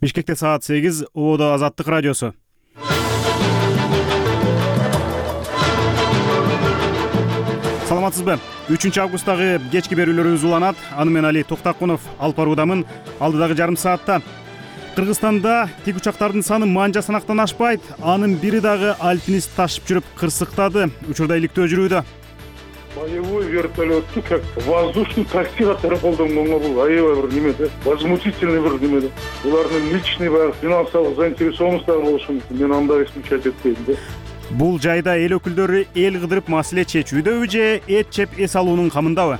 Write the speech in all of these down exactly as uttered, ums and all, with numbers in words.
Бишкекте саат сегиз, Ободо Азаттык радиосу. Саламатсызбы? үчүнчү августтагы кечки берүүлөрүбүз уланат. Аны мен Али Токтакунов алып баруудамын. Алдыдагы жарым саатта Кыргызстанда тик учактардын саны манжа санактан ашпайт. Анын бири дагы альпинист ташып жүрүп кырсыктады. Учурда иликтөө жүрүүдө. Боевой вертолетту как воздушный такси катары колдонгонго бул аябай бир немеде, возмутительный бир немеде. Булардын личный баягы финансылык заинтересованность дагы болушу мүмкүн. Мен андай исключать этпейм да. Бул жайда эл өкүлдөрү эл кыдырып маселе чечүүдөбү же эт жеп эс алуунун камындабы?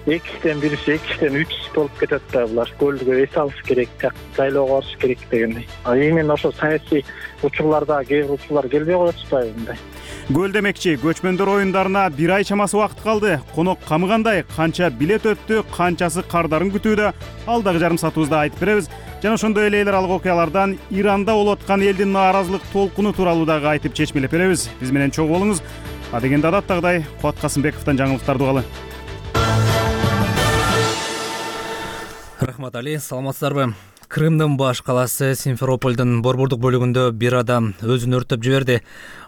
Экиден бирisi, экиден үч болуп кетет да булар. Көлгө эс алыш керек, жайлоого барыш керек дегендей. А именно ошо саясий учурларда кээ бир учурлар келбей коет атпайбы мындай. Көл демекчи, көчмөндөр оюндарына бир ай чамасы убакыт калды. Конок камы кандай, канча билет өттү, канчасы кардарын күтүүдө? Алдагы жарым саатыбызда айтып беребиз. Жана ошондой эле эл аралык окуялардан Иранда болуп аткан элдин нааразылык толкуну тууралуу дагы айтып чечмелеп беребиз. Биз менен чогуу болуңуз. А дегенде адаттагыдай Кубат Касымбековдон жаңылыктарды угалы. Рахмат Али, саламатсыздарбы? Крымдын баш калаасы Симферопольдун борбордук бөлүгүндө бир адам өзүн өрттөп жиберди.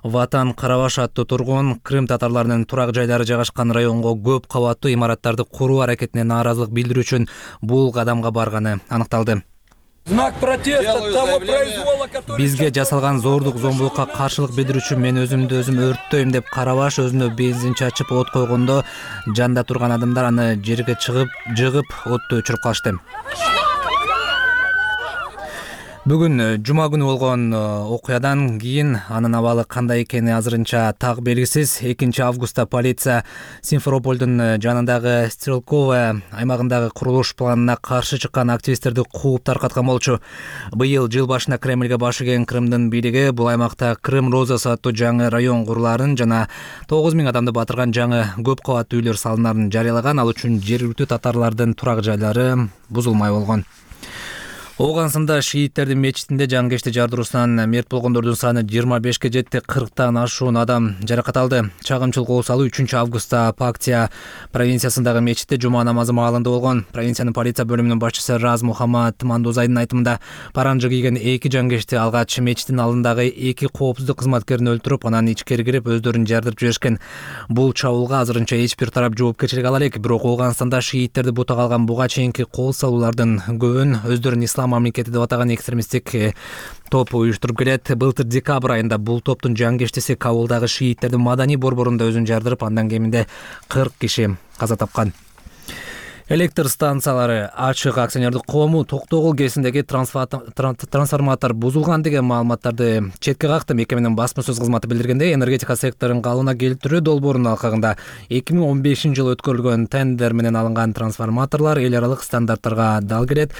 Ватан Карабаш аттуу тургун Крым татарларынын турак жайлары жайгашкан районго көп кабаттуу имараттарды куруу аракетине нааразылык билдирүү үчүн бул кадамга барганы аныкталды. Знак протеста того произвола, который... Бизге жасалган зордук зомбулукка каршылык билдирүү үчүн мен өзүмдү өзүм өрттөйм деп Карабаш өзүнө бензин чачып от койгондо жанда турган адамдар аны жерге чыгып, жыгып отту өчүрүп калышты. Бүгүн жума күнү болгон окуядан кийин анын абалы кандай экени азырынча так белгисиз. экинчи августта полиция Симферопольдун жанындагы Стрелковая аймагындагы курулуш планына каршы чыккан активисттерди кууп таркаткан болчу. Быйыл жыл башында Кремльге баш ийген Крымдын бийлиги бул аймакта Крым Розасы аттуу жаңы район курулаарын жана тогуз миң адамды батырган жаңы көп кабаттуу үйлөр салынаарын жарыялаган. Ал үчүн жергиликтүү татарлардын турак жайлары бузулмай болгон. Оогансында шииттердин мечитинде жаңгешти жардыруусунан мерт болгондордун саны жыйырма бешке жетти, кырктан ашуун адам жаракат алды. Чагымчылык кол салуу үчүнчү августта Пактия провинциясындагы мечитте жума намазы маалында болгон. Провинциянын полиция бөлүмүнүн башчысы Раз Мухаммад Мандозайдын айтымында паранжы кийген эки жаңгешти алгач мечиттин алдындагы эки коопсуздук кызматкерин өлтүрүп, анан ичкери кирип өздөрүн жардырып жиберишкен. Бул чабуулга азырынча эч бир тарап жоопкерчилик ала элек, бирок Оогансында шииттерди бутага алган буга чейинки кол салуулардын көбүн өздөрүн ислам мамлекети деп атаган экстремисттик топ уюштуруп келет. Былтыр декабрь айында бул топтун жаңгештиси Кабулдагы шииттердин маданий борборунда өзүн жардырып, андан кеминде кырк киши каза тапкан. Электр станциялары ачык акционердик коому Токтогул кесиндеги трансформатор бузулган деген маалыматтарды четке какты. Мекеменин басма сөз кызматы билдиргендей, энергетика секторун калыбына келтирүү долбоорунун алкагында эки миң он бешинчи жылы өткөрүлгөн тендер менен алынган трансформаторлор эл аралык стандарттарга дал келет.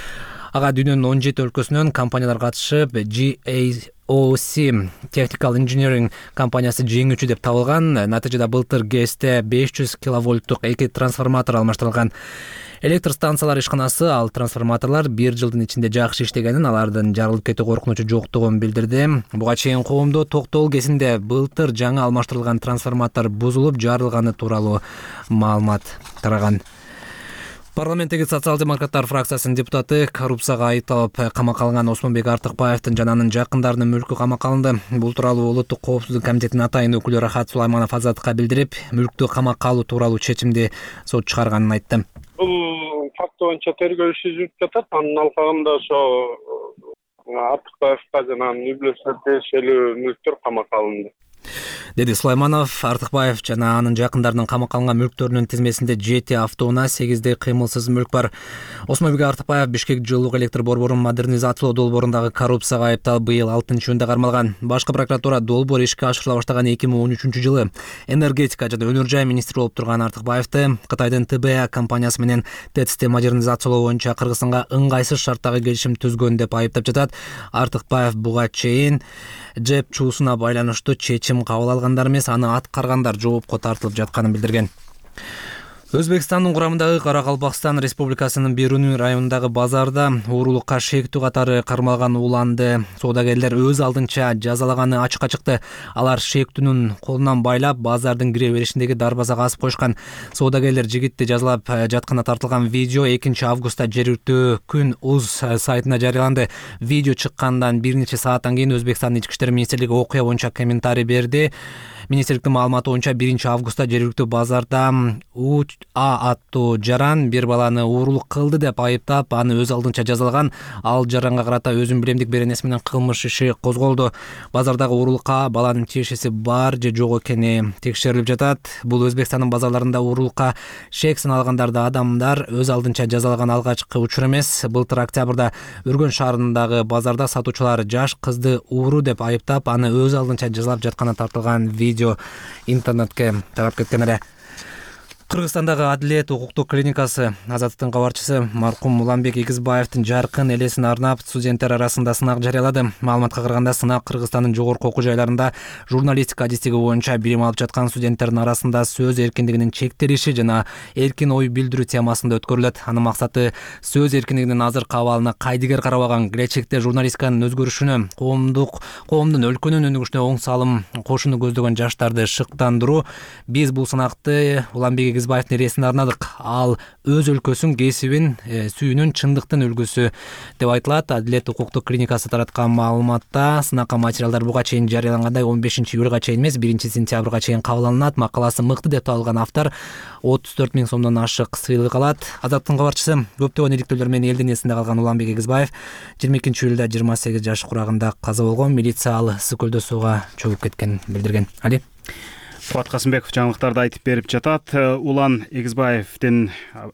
Ага дүйнөнүн он жети өлкөсүнөн компаниялар катышып, G A O C Technical Engineering компаниясы жеңүүчү деп табылган. Натыйжада былтыр ГЭСте беш жүз киловольттук эки трансформатор алмаштырылган. Электр станциялар ишканасы ал трансформаторлор бир жылдын ичинде жакшы иштегенин, алардын жарылып кетүү коркунучу жоктугун билдирди. Буга чейин коомдо Токтогул кесинде былтыр жаңы алмаштырылган трансформатор бузулуп жарылганы тууралуу маалымат тараган. Парламенттеги социал-демократтар фракциясынын депутаты коррупцияга айыпталып камакка алынган Осмонбек Артыкбаевдин жана анын жакындарынын мүлкү камакка алынды. Бул тууралуу Улуттук коопсуздук комитетинин атайын өкүлү Рахат Сулайманов Азаттыкка билдирип, мүлктү камакка алуу тууралуу чечимди сот чыгарганын айтты. Бул факт боюнча тергөө иши жүрүп жатат. Анын алкагында ошо Артыкбаевга жана анын үй бүлөсүнө тиешелүү мүлктөр камакка алынды, деди Сулайманов. Артыкбаев жана анын жакындарынын камакка алынган мүлктөрүнүн тизмесинде жети автоунаа, сегизде кыймылсыз мүлк бар. Осмонбек Артыкбаев Бишкек жылуулук электр борборун модернизациялоо долбоорундагы коррупцияга айыпталып, быйыл алтынчы июнда кармалган. Башкы прокуратура долбоор ишке ашырыла баштаган эки миң он үчүнчү жылы энергетика жана өнөр жай министри болуп турган Артыкбаевди Кытайдын Т Б А компаниясы менен ТЭЦти модернизациялоо боюнча Кыргызстанга ыңгайсыз шарттагы келишим түзгөн деп айыптап жатат. Артыкбаев буга чейин жеп чуусуна байланыштуу чечим кабыл алгандар эмес, аны аткаргандар жоопко тартылып жатканын билдирген. Өзбекстандын курамындагы Каракалпакстан Республикасынын Беруни районундагы базарда уурулукка шектүү катары кармалган уланды соодагерлер өз алдынча жазалаганы ачыкка чыкты. Алар шектүүнүн колунан байлап базардын кире беришиндеги дарбазага асып коюшкан. Соодагерлер жигитти жазалап жатканда тартылган видео экинчи августта жергиликтүү Күн уз сайтына жарыяланды. Видео чыккандан бир нече сааттан кийин Өзбекстандын ички иштер министрлиги окуя боюнча комментарий берди. Министрликтин маалыматы боюнча биринчи августта жергиликтүү базарда У А аттуу жаран бир баланы уурулук кылды деп айыптап, аны өз алдынча жазалаган. Ал жаранга карата өзүн билемдик беренеси менен кылмыш иши козголду. Базардагы уурулукка баланын тиешеси бар же жок экени текшерилип жатат. Бул Өзбекстандын базарларында уурулукка шек саналгандарды адамдар өз алдынча жазалаган алгачкы учур эмес. Былтыр октябрда Үргөн шаарындагы базарда сатуучулар жаш кызды ууру деп айыптап, аны өз алдынча жазалап жатканы тартылган видео интернетке тарап кеткен эле. Кыргызстандагы Адилет укуктук клиникасы Азаттыктын кабарчысы маркум Уланбек Игизбаевдин жаркын элесин арнап студенттер арасында сынак жарыялады. Маалыматка караганда сынак Кыргызстандын жогорку окуу жайларында журналистика адистиги боюнча билим алып жаткан студенттердин арасында сөз эркиндигинин чектелиши жана эркин ой билдирүү темасында өткөрүлөт. Анын максаты сөз эркиндигинин азыркы абалына кайдыгер карабаган, келечекте журналистиканын өзгөрүшүнө, коомдук коомдун өлкөнүн өнүгүшүнө оң салым кошууну көздөгөн жаштарды шыктандыруу. Биз бул сынакты Уланбек Игизбаевдин элесине арнадык. Ал өз өлкөсүн, кесибин сүйүүнүн чындыктын үлгүсү деп айтылат. Адилет укуктук клиникасы тараткан маалыматта сынакка материалдар буга чейин жарыялангандай он бешинчи июлга чейин эмес, биринчи сентябрга чейин кабыл алынат. Макаласы мыкты деп табылган автор отуз төрт миң сомдон ашык сыйлык алат. Азаттыктын кабарчысы көптөгөн иликтөөлөр менен элдин эсинде калган Уланбек Игизбаев жыйырма экинчи июлда жыйырма сегиз жаш курагында каза болгон. Милиция ал ысык көлдө сууга чөгүп кеткенин билдирген. Али Кубат Касымбеков жаңылыктарды айтып берип жатат. Улан Игизбаевдин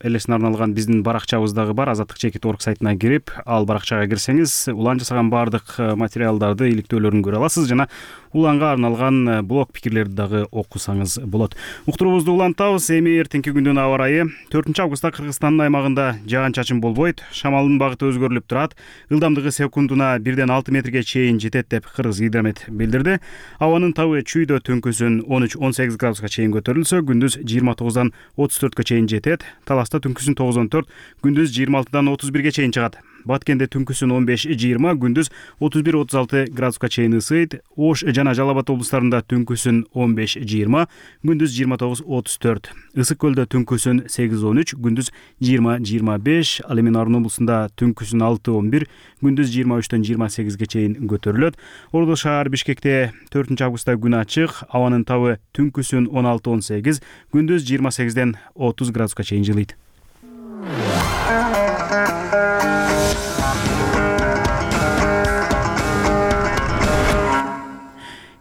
элесине арналган биздин баракчабыздагы бар, Азаттык чекит точка орг сайтына кирип, ал баракчага кирсеңиз, Улан жасаган баардык материалдарды, иликтөөлөрүн көрө аласыз жана Уланга арналган блог пикирлерди дагы окусаңыз болот. Уктуруубузду улантабыз. Эми эртеңки күндүн аба ырайы. төртүнчү августта Кыргызстандын аймагында жаан-чачын болбойт, шамалдын багыты өзгөрүлүп турат. Ылдамдыгы секундуна бирден алты метрге чейин жетет деп Кыргыз гидромет билдирди. Абанын табы чүйдө түнкүсүн он үч он сегиз градуска чейин көтөрүлсө, күндүз жыйырма тогуздан отуз төрткө чейин жетет. Таласта түнкүсүн тогуз он төрт, күндүз жыйырма алтыдан отуз бирге чейин чыгат. Баткенде түнкүсүн он беш жыйырма, күндүз отуз бир отуз алты градуска чейин ысыйт. Ош жана Жалал Абад облустарында түнкүсүн он беш жыйырма, күндүз жыйырма тогуз отуз төрт. Ысык көлдө түнкүсүн сегиз он үч, күндүз жыйырма жыйырма беш. Ал эми Нарын облусунда түнкүсүн алты он бир, күндүз жыйырма үчтөн жыйырма сегизге чейин көтөрүлөт. Ордо шаар Бишкекте төртүнчү августта күн ачык, абанын табы түнкүсүн он алты он сегиз, күндүз жыйырма сегизден отуз градуска чейин жылыйт.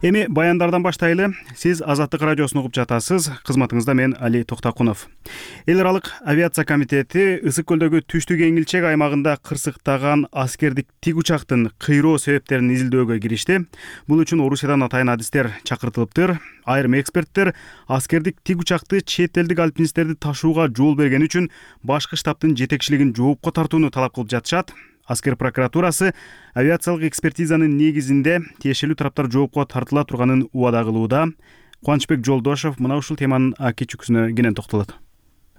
Эми баяндардан баштайлы. Сиз Азаттык радиосун угуп жатасыз. Кызматыңызда мен Али Токтакунов. Эл аралык авиация комитети ысык көлдөгү түштүк эңилчек аймагында кырсыктаган аскердик тик учактын кыйроо себептерин изилдөөгө киришти. Бул үчүн Орусиядан атайын адистер чакыртылыптыр. Айрым эксперттер аскердик тик учакты чет элдик альпинисттерди ташууга жол берген үчүн башкы штабтын жетекчилигин жоопко тартууну талап кылып жатышат. Аскер прокуратурасы авиациялык экспертизанын негизинде тиешелүү тараптар жоопко тартыла турганын убада кылууда. Кубанычбек Жолдошов мына ушул теманын аки чүкүсүнө кенен токтолот.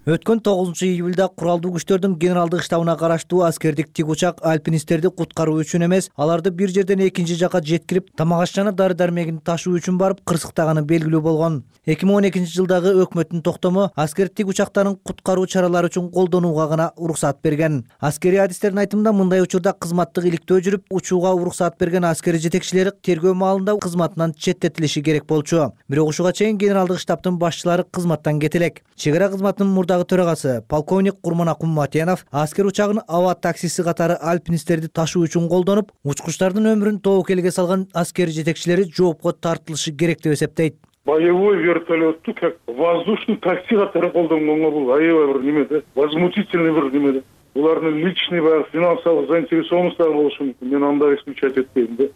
Өткөн тогузунчу июлда куралдуу күчтөрдүн генералдык штабына караштуу аскердик тик учак альпинисттерди куткаруу үчүн эмес, аларды бир жерден экинчи жакка жеткирип, тамак аш жана дары-дармегин ташуу үчүн барып кырсыктаганы белгилүү болгон. эки миң он экинчи жылдагы өкмөттүн токтому аскер тик учактарын куткаруу чаралары үчүн колдонууга гана уруксат берген. Аскерий адистердин айтымында мындай учурда кызматтык иликтөө жүрүп, учууга уруксат берген аскер жетекчилери тергөө маалында кызматынан четтетилиши керек болчу. Бирок ушуга чейин генералдык штабтын башчылары кызматтан кете элек. Чек ара кызматынын мурдагы төрагасы полковник Курманакун Матенов аскер учагын аба таксиси катары альпинисттерди ташуу үчүн колдонуп, учкучтардын өмүрүн тоокелге салган аскер жетекчилери жоопко тартылышы керек деп эсептейт. Боевой вертолетту как воздушный такси катары колдонгонго бул аябай бир неме да, возмутительный бир неме да. Булардын личный баягы финансылык заинтересованностьтары болушу мүмкүн. Мен андай исключать этпейм да.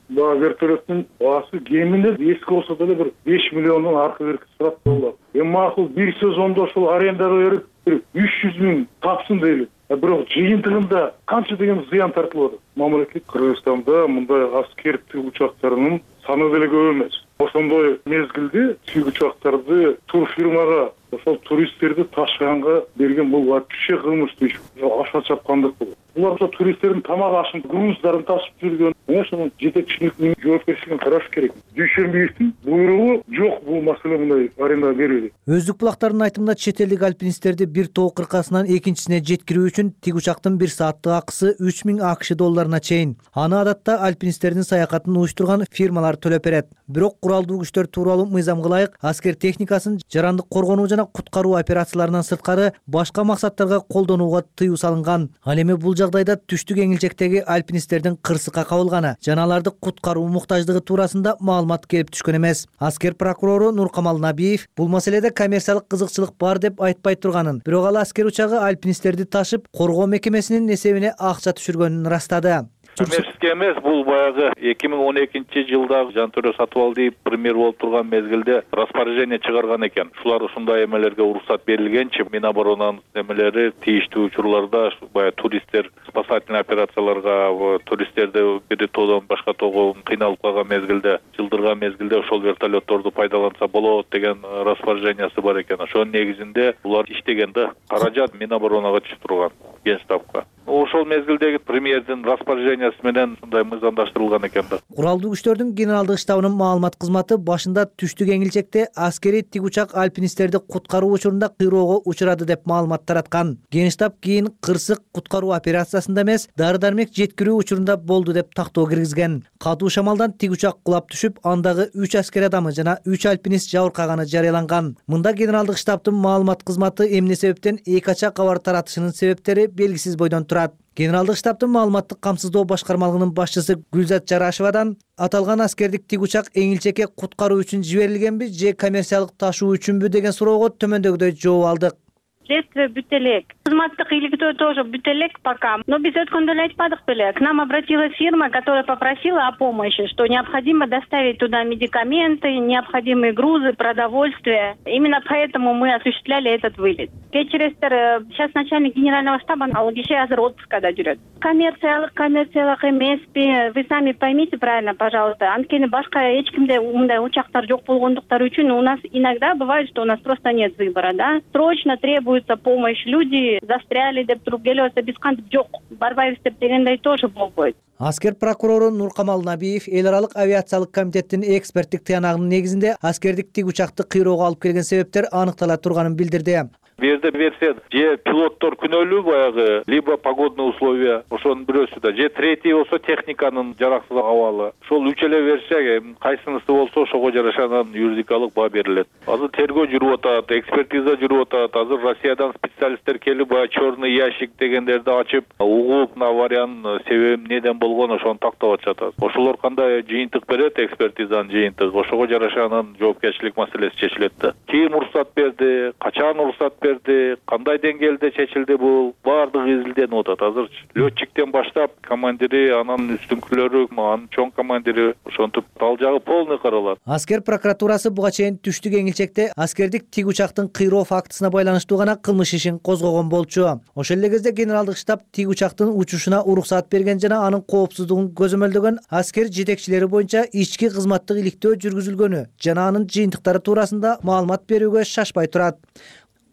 Баа вертолеттун баасы кеминде эски болсо деле бир беш миллиондон аркы берки турат болот. Эми макул бир сезондо ушул арендага берип бир үч жүз миң тапсын дейли. Бирок жыйынтыгында канча деген зыян тартылып атат. Мамлекет Кыргызстанда мындай аскер тик учактарынын саны деле көп эмес. Ошондой мезгилде тик учактарды турфирмага ошол туристтерди ташыганга берген бул вообще кылмыштуу иш, аша чапкандык бул. Булар ошо туристтердин тамак ашын, груздарын ташып жүргөн. Мына ошонун жетекчиликтин жоопкерчилигин караш керек. Дүйшөнбиевдин буйругу жок бул маселе мындай арендага берүүгө. Өздүк булактардын айтымында чет элдик альпинисттерди бир тоо кыркасынан экинчисине жеткирүү үчүн тик учактын бир сааттык акысы үч миң акш долларына чейин. Аны адатта альпинисттердин саякатын уюштурган фирмалар төлөп берет. Бирок куралдуу күчтөр тууралуу мыйзамга ылайык аскер техникасын жарандык коргонуу жана куткаруу операцияларынан сырткары башка максаттарга колдонууга тыюу салынган. Ал эми бул жагдайда түштүк эңилчектеги альпинисттердин кырсыкка кабылганы жана аларды куткаруу муктаждыгы туурасында маалымат келип түшкөн эмес. Аскер прокурору Нуркамал Набиев бул маселеде коммерциялык кызыкчылык бар деп айтпай турганын, бирок ал аскер учагы альпинисттерди ташып коргоо мекемесинин эсебине акча түшүргөнүн ырастады. Коммерческий эмес, бул баягы эки миң он экинчи жылда Жантөрө Сатыбалдиев премьер болуп турган мезгилде распоряжение чыгарган экен. Ушулар ушундай эмелерге уруксат берилгенчи Миноборонанын эмелери тийиштүү учурларда баягы туристтер спасательный операцияларга, туристтерди бир тоодон башка тоого кыйналып калган мезгилде, жылдырган мезгилде ошол вертолетторду пайдаланса болот деген распоряжениясы бар экен. Ошонун негизинде булар иштегенде каражат Миноборонага түшүп турган, Генштабка. Ошол мезгилдеги премьердин распоряжениясы менен мындай мыйзамдаштырылган экен да. Куралдуу күчтөрдүн генералдык штабынын маалымат кызматы башында түштүк эңилчекте аскери тик учак альпинисттерди куткаруу учурунда кыйроого учурады деп маалымат тараткан. Генштаб кийин кырсык куткаруу операциясында эмес, дары-дармек жеткирүү учурунда болду деп тактоо киргизген. Катуу шамалдан тик учак кулап түшүп, андагы үч аскер адамы жана үч альпинист жабыркаганы жарыяланган. Мында генералдык штабтын маалымат кызматы эмне себептен эки ача кабар таратышынын себептери белгисиз бойдон турат. Генералдык штабтын маалыматтык камсыздоо башкармалыгынын башчысы Гүлзат Жарашевадан аталган аскердик тик учак эңилчекке куткаруу үчүн жиберилгенби же коммерциялык ташуу үчүнбү деген суроого төмөндөгүдөй жооп алдык. Следствие бүт элек. Кызматтык иликтөө тоже бүт элек пока. Но биз өткөндө эле айтпадык беле. К нам обратилась фирма, которая попросила о помощи, что необходимо доставить туда медикаменты, необходимые грузы, продовольствие. Именно поэтому мы осуществляли этот вылет. Кечиресиздер, сейчас начальник генерального штаба ал киши азыр отпускада жүрөт. Коммерциялык, коммерциялык эмеспи. Вы сами поймите правильно, пожалуйста. Анткени башка эч кимде мындай учактар жок болгондуктары үчүн у нас иногда бывает, что у нас просто нет выбора, да? Срочно требует помощь, люди застряли деп туруп келип атса биз кантип жок барбайбыз деп дегендей тоже болбойт. Аскер прокурору Нуркамал Набиев эл аралык авиациялык комитеттин эксперттик тыянагынын негизинде аскердик тик учакты кыйроого алып келген себептер аныктала турганын билдирди. Бу жерде версия же пилоттор күнөөлүү баягы, либо погодные условия, ошонун бирөөсү да, же третий болсо техниканын жараксыз абалы. Ошол үч эле версия кайсынысы болсо ошого жараша анан юридикалык баа берилет. Азыр тергөө жүрүп атат, экспертиза жүрүп атат. Азыр Россиядан специалисттер келип баягы черный ящик дегендерди ачып, угуп авариянын себеби эмнеден болгон ошону тактап атышат. Ошолор кандай жыйынтык берет, экспертизанын жыйынтыгы, ошого жараша анан жоопкерчилик маселеси чечилет да. Ким уруксат берди, качан уруксат берди, кандай деңгээлде чечилди, бул баардыгы изилденип атат. Азыр летчиктен баштап командири, анан үстүнкүлөрү, анын чоң командири ошентип ал жагы полный каралат. Аскер прокуратурасы буга чейин түштүк эңилчекте аскердик тик учактын кыйроо фактысына байланыштуу гана кылмыш ишин козгогон болчу. Ошол эле кезде генералдык штаб тик учактын учушуна уруксат берген жана анын коопсуздугун көзөмөлдөгөн аскер жетекчилери боюнча ички кызматтык иликтөө жүргүзүлгөнү жана анын жыйынтыктары туурасында маалымат берүүгө шашпай турат.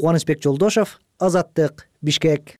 Кубанычбек Жолдошов, Азаттык, Бишкек.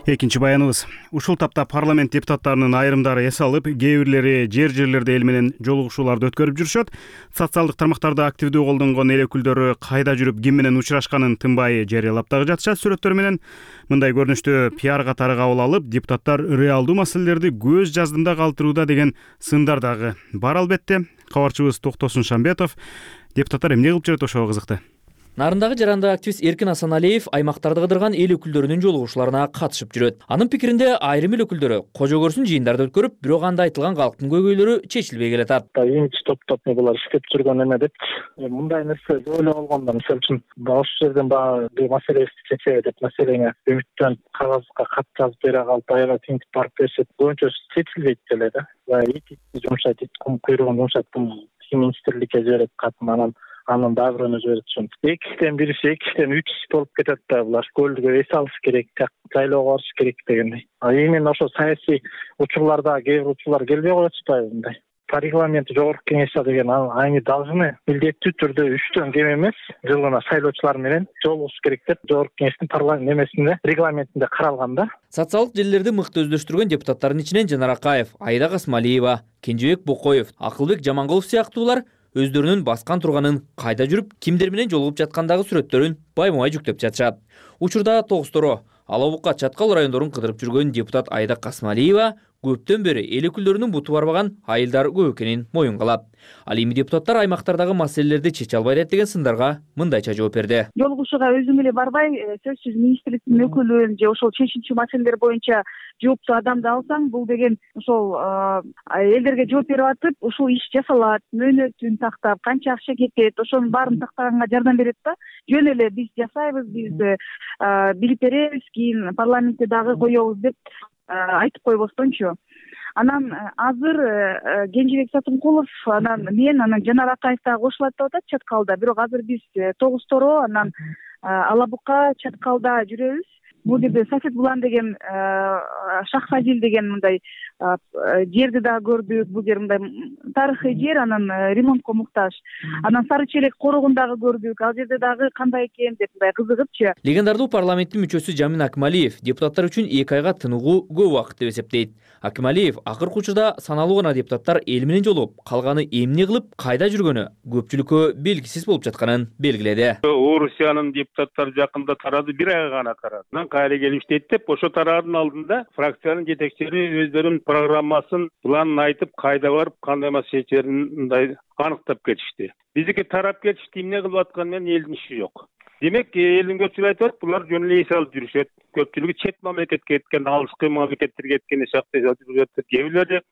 Экинчи баяныбыз. Ушул тапта парламент депутаттарынын айрымдары эс алып, кээ бирлери жер жерлерде эл менен жолугушууларды өткөрүп жүрүшөт. Социалдык тармактарда активдүү колдонгон эл өкүлдөрү кайда жүрүп, ким менен учурашканын тынбай жарыялап дагы жатышат сүрөттөр менен. Мындай көрүнүштү пиар катары кабыл алып, депутаттар реалдуу маселелерди көз жаздымда калтырууда деген сындар дагы бар албетте. Кабарчыбыз Токтосун Шамбетов депутаттар эмне кылып жүрөт ошого кызыкты. Нарындагы жарандык активист Эркин Асаналиев аймактарды кыдырган эл өкүлдөрүнүн жолугушууларына катышып жүрөт. Анын пикиринде айрым эл өкүлдөрү кожо көрсүн жыйындарды өткөрүп, бирок анда айтылган калктын көйгөйлөрү чечилбей келатат. Имидж топтоп булар иштеп жүргөн эме деп мындай нерсе ойлоп болгондо, мисалы үчүн ошол жерден баягы бир маселебизди чечеби деп маселеңе үмүттөнүп кагазга кат жазып бере калып аябай тинтип барып беришет. Боюнча чечилбейт деле да. Баягы ит жумшайт, ит кум куйругун жумшайт, министрликке жиберет катын, анан анан дагы бирөөнө жиберет ушун. эки кишиден бирisi эки кишиден үч болуп кетет да булар. Көлдүгө эс алыш керек, жайлоого барыш керек дегендей. А именно ошо саясий учурларда кээ бир учурлар келбей коет атпайбы мындай. По регламенту жогорку кеңешчи деген они должны милдеттүү түрдө үчтөн кем эмес жылына шайлоочулар менен жолугуш керек деп жогорку кеңештин парламент немесинде регламентинде каралган да. Социалдык желилерди мыкты өздөштүргөн депутаттардын ичинен Жанар Акаев, Айда Касмалиева, Кенжебек Бокоев, Акылбек Жаманкулов сыяктуулар өздөрүнүн баскан турганын, кайда жүрүп, кимдер менен жолугуп жаткандагы сүрөттөрүн байма-бай жүктөп жатышат. Учурда Тогусторо, Ала Бука, Чаткал райондорун кыдырып жүргөн депутат Айда Касмалиева көптөн бери эл өкүлдөрүнүн буту барбаган айылдар көп экенин моюнга алат. Ал эми депутаттар аймактардагы маселелерди чече албайт деген сындарга мындайча жооп берди. Жолугушууга өзүм эле барбай, сөзсүз министрликтин өкүлүн же ошол чечүүчү маселелер боюнча жооптуу адамды алсаң, бул деген ошол элдерге жооп берип атып, ушул иш жасалат, мөөнөтүн тактап, канча акча кетет, ошонун баарын тактаганга жардам берет да. Жөн эле биз жасайбыз, биз билип беребиз, кийин парламентте дагы коебуз деп айтып койбостончу. Анан азыр Кенжебек Сатымкулов, анан мен, анан Жанар Акаев дагы кошулат деп атат Чаткалда. Бирок азыр биз Тогусторо, анан Ала Бука, Чаткалда жүрөбүз. Бул жерде Сафет Булан деген Шахфазил деген мындай жерди дагы көрдүк. Бул жер мындай тарыхый жер, анан ремонтко муктаж. Анан Сары Челек корогун дагы көрдүк. Ал жерде дагы кандай экен деп мындай кызыгыпчы. Легендардуу парламенттин мүчөсү Жамин Акмалиев депутаттар үчүн эки айга тыныгуу көп убакыт деп эсептейт. Акмалиев акыркы учурда саналуу гана депутаттар эл менен жолугуп, калганы эмне кылып, кайда жүргөнү көпчүлүккө белгисиз болуп жатканын белгиледи. Орусиянын депутаттары жакында тарады, бир айга гана тарады. Кайра келип иштейт деп, ошо тараадын алдында фракциянын жетекчилери өздөрүнүн программасын, планын айтып, кайда барып, кандай маселе чечерин мындай аныктап кетишти. Биздики тарап кетишти, эмне кылып атканы менен элдин иши жок. Демек, элдин көпчүлүгү айтып атат, булар жөн эле эс алып жүрүшөт. Көпчүлүгү чет мамлекетке кеткен, алыскы мамлекеттерге кеткен шакта жүрүшөт. Кээ бирлери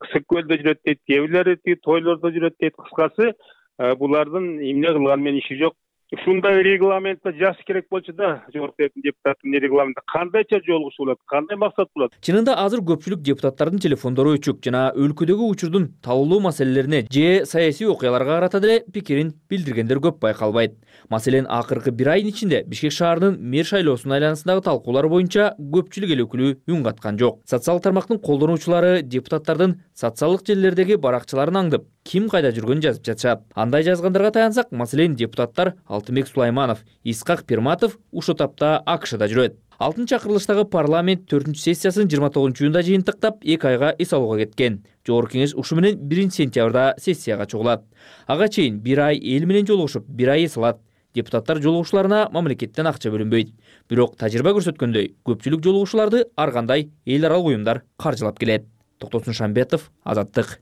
Ысык көлдө жүрөт дейт, кээ бирлери тойлордо жүрөт дейт. Кыскасы, булардын эмне кылганы менен иши жок. Ушундай регламентте жазыш керек болчу да, жогорку депутаттын регламентте кандайча жолугушуу болот, кандай максат болот. Чынында азыр көпчүлүк депутаттардын телефондору өчүк жана өлкөдөгү учурдун талуулуу маселелерине же саясий окуяларга карата деле пикирин билдиргендер көп байкалбайт. Маселен, акыркы бир айдын ичинде Бишкек шаарынын мэр шайлоосунун айланасындагы талкуулар боюнча көпчүлүк эл өкүлү үн каткан жок. Социалдык тармактын колдонуучулары депутаттардын социалдык желилердеги баракчаларын аңдып, ким кайда жүргөнүн жазып жатышат. Андай жазгандарга таянсак, маселен, депутаттар Алтынбек Сулайманов, Исхак Пирматов ушул тапта АКШда жүрөт. Алтынчы чакырылыштагы парламент төртүнчү сессиясын жыйырма тогузунчу июнда жыйынтыктап эки айга эс алууга кеткен. Жогорку кеңеш ушу менен биринчи сентябрда сессияга чыгылат. Ага чейин бир ай эл менен жолугушуп, бир ай эс алат. Депутаттар жолугушууларына мамлекеттен акча бөлүнбөйт. Бирок тажрыйба көрсөткөндөй, көпчүлүк жолугушууларды ар кандай эл аралык уюмдар каржылап келет. Токтосун Шамбетов, Азаттык.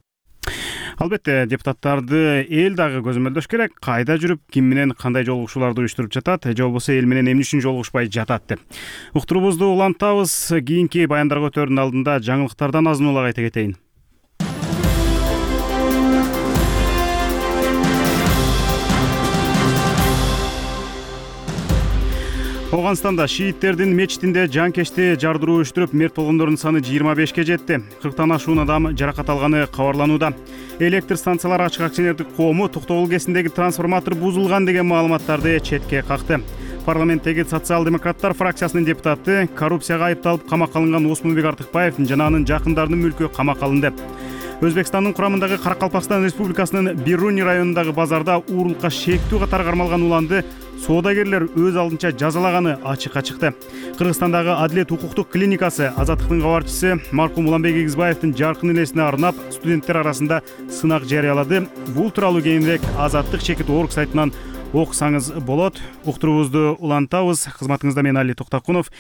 Албетте, депутаттарды эл дагы көзөмөлдөш керек. Кайда жүрүп, ким менен кандай жолугушууларды уюштуруп жатат, же болбосо эл менен эмне үчүн жолугушпай жатат деп. Уктуруубузду улантабыз. Кийинки баяндарга өтөрдүн алдында жаңылыктардан азын-улак айта кетейин. Ооганстанда шииттердин мечитинде жанкечти жардыруу уюштуруп, мерт болгондордун саны жыйырма бешке жетти. кырктан ашуун адам жаракат алганы кабарланууда. Электр станциялар ачык акционердик коому Токтогул кесиндеги трансформатор бузулган деген маалыматтарды четке какты. Парламенттеги социал-демократтар фракциясынын депутаты коррупцияга айыпталып камакка алынган Осмонбек Артыкбаев жана анын жакындарынын мүлкү камакка алынды. Өзбекстандын курамындагы Каракалпакстан Республикасынын Бируни районундагы базарда уурулукка шектүү катар кармалган уланды соодагерлер өз алдынча жазалаганы ачыкка чыкты. Кыргызстандагы Адилет укуктук клиникасы Азаттыктын кабарчысы маркум Уланбек Игизбаевдин жаркын элесине арнап студенттер арасында сынак жарыялады. Бул тууралуу кийинирээк Азаттык чекит орг сайтынан окусаңыз болот. Уктуруубузду улантабыз. Кызматыңызда мен Али Токтокунов.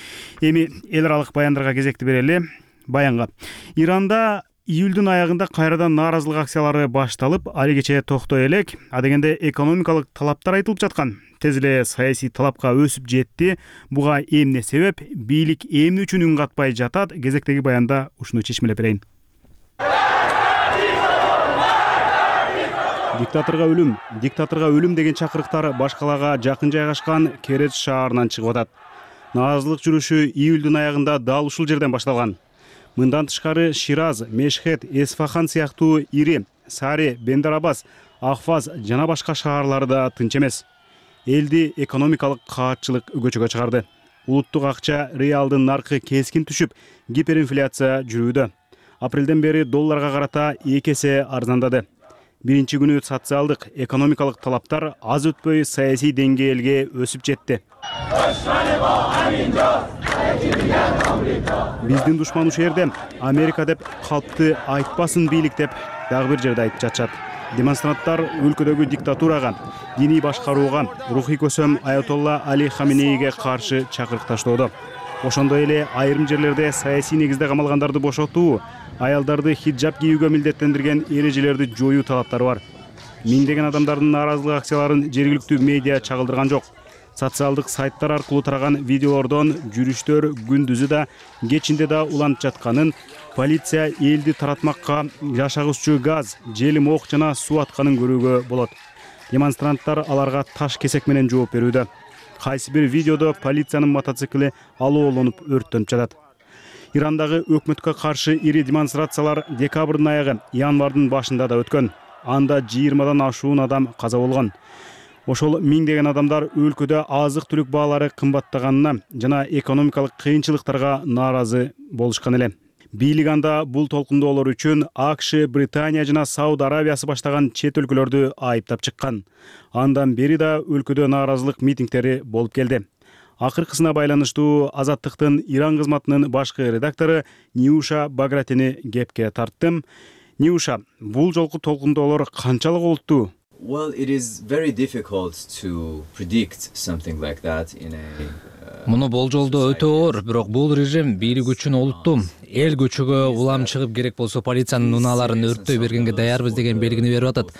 Эми эл аралык баяндарга кезекти берели. Баянга. Иранда июлдун аягында кайрадан нааразылык акциялары башталып, али кечээ токтой элек, адегенде экономикалык талаптар айтылып жаткан. Тез эле саясий талапка өсүп жетти. Буга эмне себеп? Бийлик эмне үчүн үн катпай жатат? Кезектеги баянда ушуну чечмелеп берейин. Диктаторго өлүм, диктаторго өлүм деген чакырыктар башкалага жакын жайгашкан Кереч шаарынан чыгып атат. Нааразылык жүрүшү июлдун аягында дал ушул жерден башталган. Мындан тышкары Шираз, Мешхет, Эсфахан сыяктуу ири Сари, Бендарабас, Ахваз жана башка шаарлар да тынч эмес. Элди экономикалык каатчылык көчөгө чыгарды. Улуттук акча реалдын наркы кескин түшүп, гиперинфляция жүрүүдө. Апрелден бери долларга карата эки эсе арзандады. Биринчи күнү социалдык, экономикалык талаптар аз өтпөй саясий деңгээлге өсүп жетти. Биздин душман ушул жерде, Америка деп калпты айтпасын бийлик деп дагы бир жерде айтып жатышат. Демонстранттар өлкөдөгү диктатурага, диний башкарууга, рухий көсөм Аятолла Али Хаменейге каршы чакырык таштоодо. Ошондой эле айрым жерлерде саясий негизде камалгандарды бошотуу, аялдарды хиджаб кийүүгө милдеттендирген эрежелерди жоюу талаптары бар. Миңдеген адамдардын нааразылык акцияларын жергиликтүү медиа чагылдырган жок. Социалдык сайттар аркылуу тараган видеолордон жүрүштөр күндүзү да, кечинде да уланып жатканын, полиция элди таратмакка жашагычуу газ, желим ок жана суу атканын көрүүгө болот. Демонстранттар аларга таш кесек менен жооп берүүдө. Кайсы бир видеодо полициянын мотоцикли алоолонуп өрттөнүп жатат. Ирандагы өкмөткө каршы ири демонстрациялар декабрдын аягы, январдын башында да өткөн. Анда жыйырмадан ашуун адам каза болгон. Ошол миңдеген адамдар өлкөдө азык-түлүк баалары кымбаттаганына жана экономикалык кыйынчылыктарга нааразы болушкан эле. Бийлик анда бул толкундоолор үчүн АКШ, Британия жана Сауд Арабиясы баштаган чет өлкөлөрдү айыптап чыккан. Андан бери да өлкөдө нааразылык митингдери болуп келди. Акыркысына байланыштуу Азаттыктын Иран кызматынын башкы редактору Ниуша Багратини кепке тарттым. Ниуша, бул жолку толкундоолор канчалык олуттуу? Well, it is very difficult to predict something like that in a Муну болжолдоо өтө оор, бирок бул режим бийлик үчүн олуттуу. Эл көчөгө улам чыгып керек болсо полициянын унааларын өрттөй бергенге даярбыз деген белгини берип атат.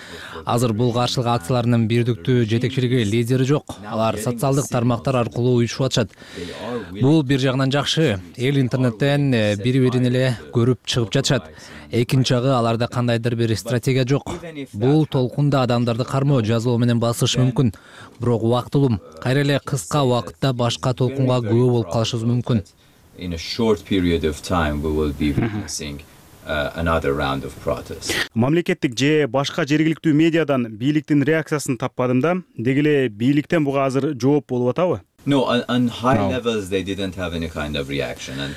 Азыр бул каршылык акцияларынын бирдиктүү жетекчилиги, лидери жок. Алар социалдык тармактар аркылуу уюшуп атышат. Бул бир жагынан жакшы. Эл интернеттен бири-бирин эле көрүп чыгып жатышат. Экинчи жагы аларда кандайдыр бир стратегия жок. Бул толкунда адамдарды кармоо, жазуу менен басыш мүмкүн. Бирок убактылуу, кайра эле кыска убакытта башка толкунга күбө болуп калышыбыз мүмкүн. In a short period of time we will be witnessing uh, another round of protests. Мамлекеттик же башка жергиликтүү медиадан бийликтин реакциясын таппадым да, деги эле бийликтен буга азыр жооп болуп атабы? No, on, on high no. levels they didn't have any kind of reaction and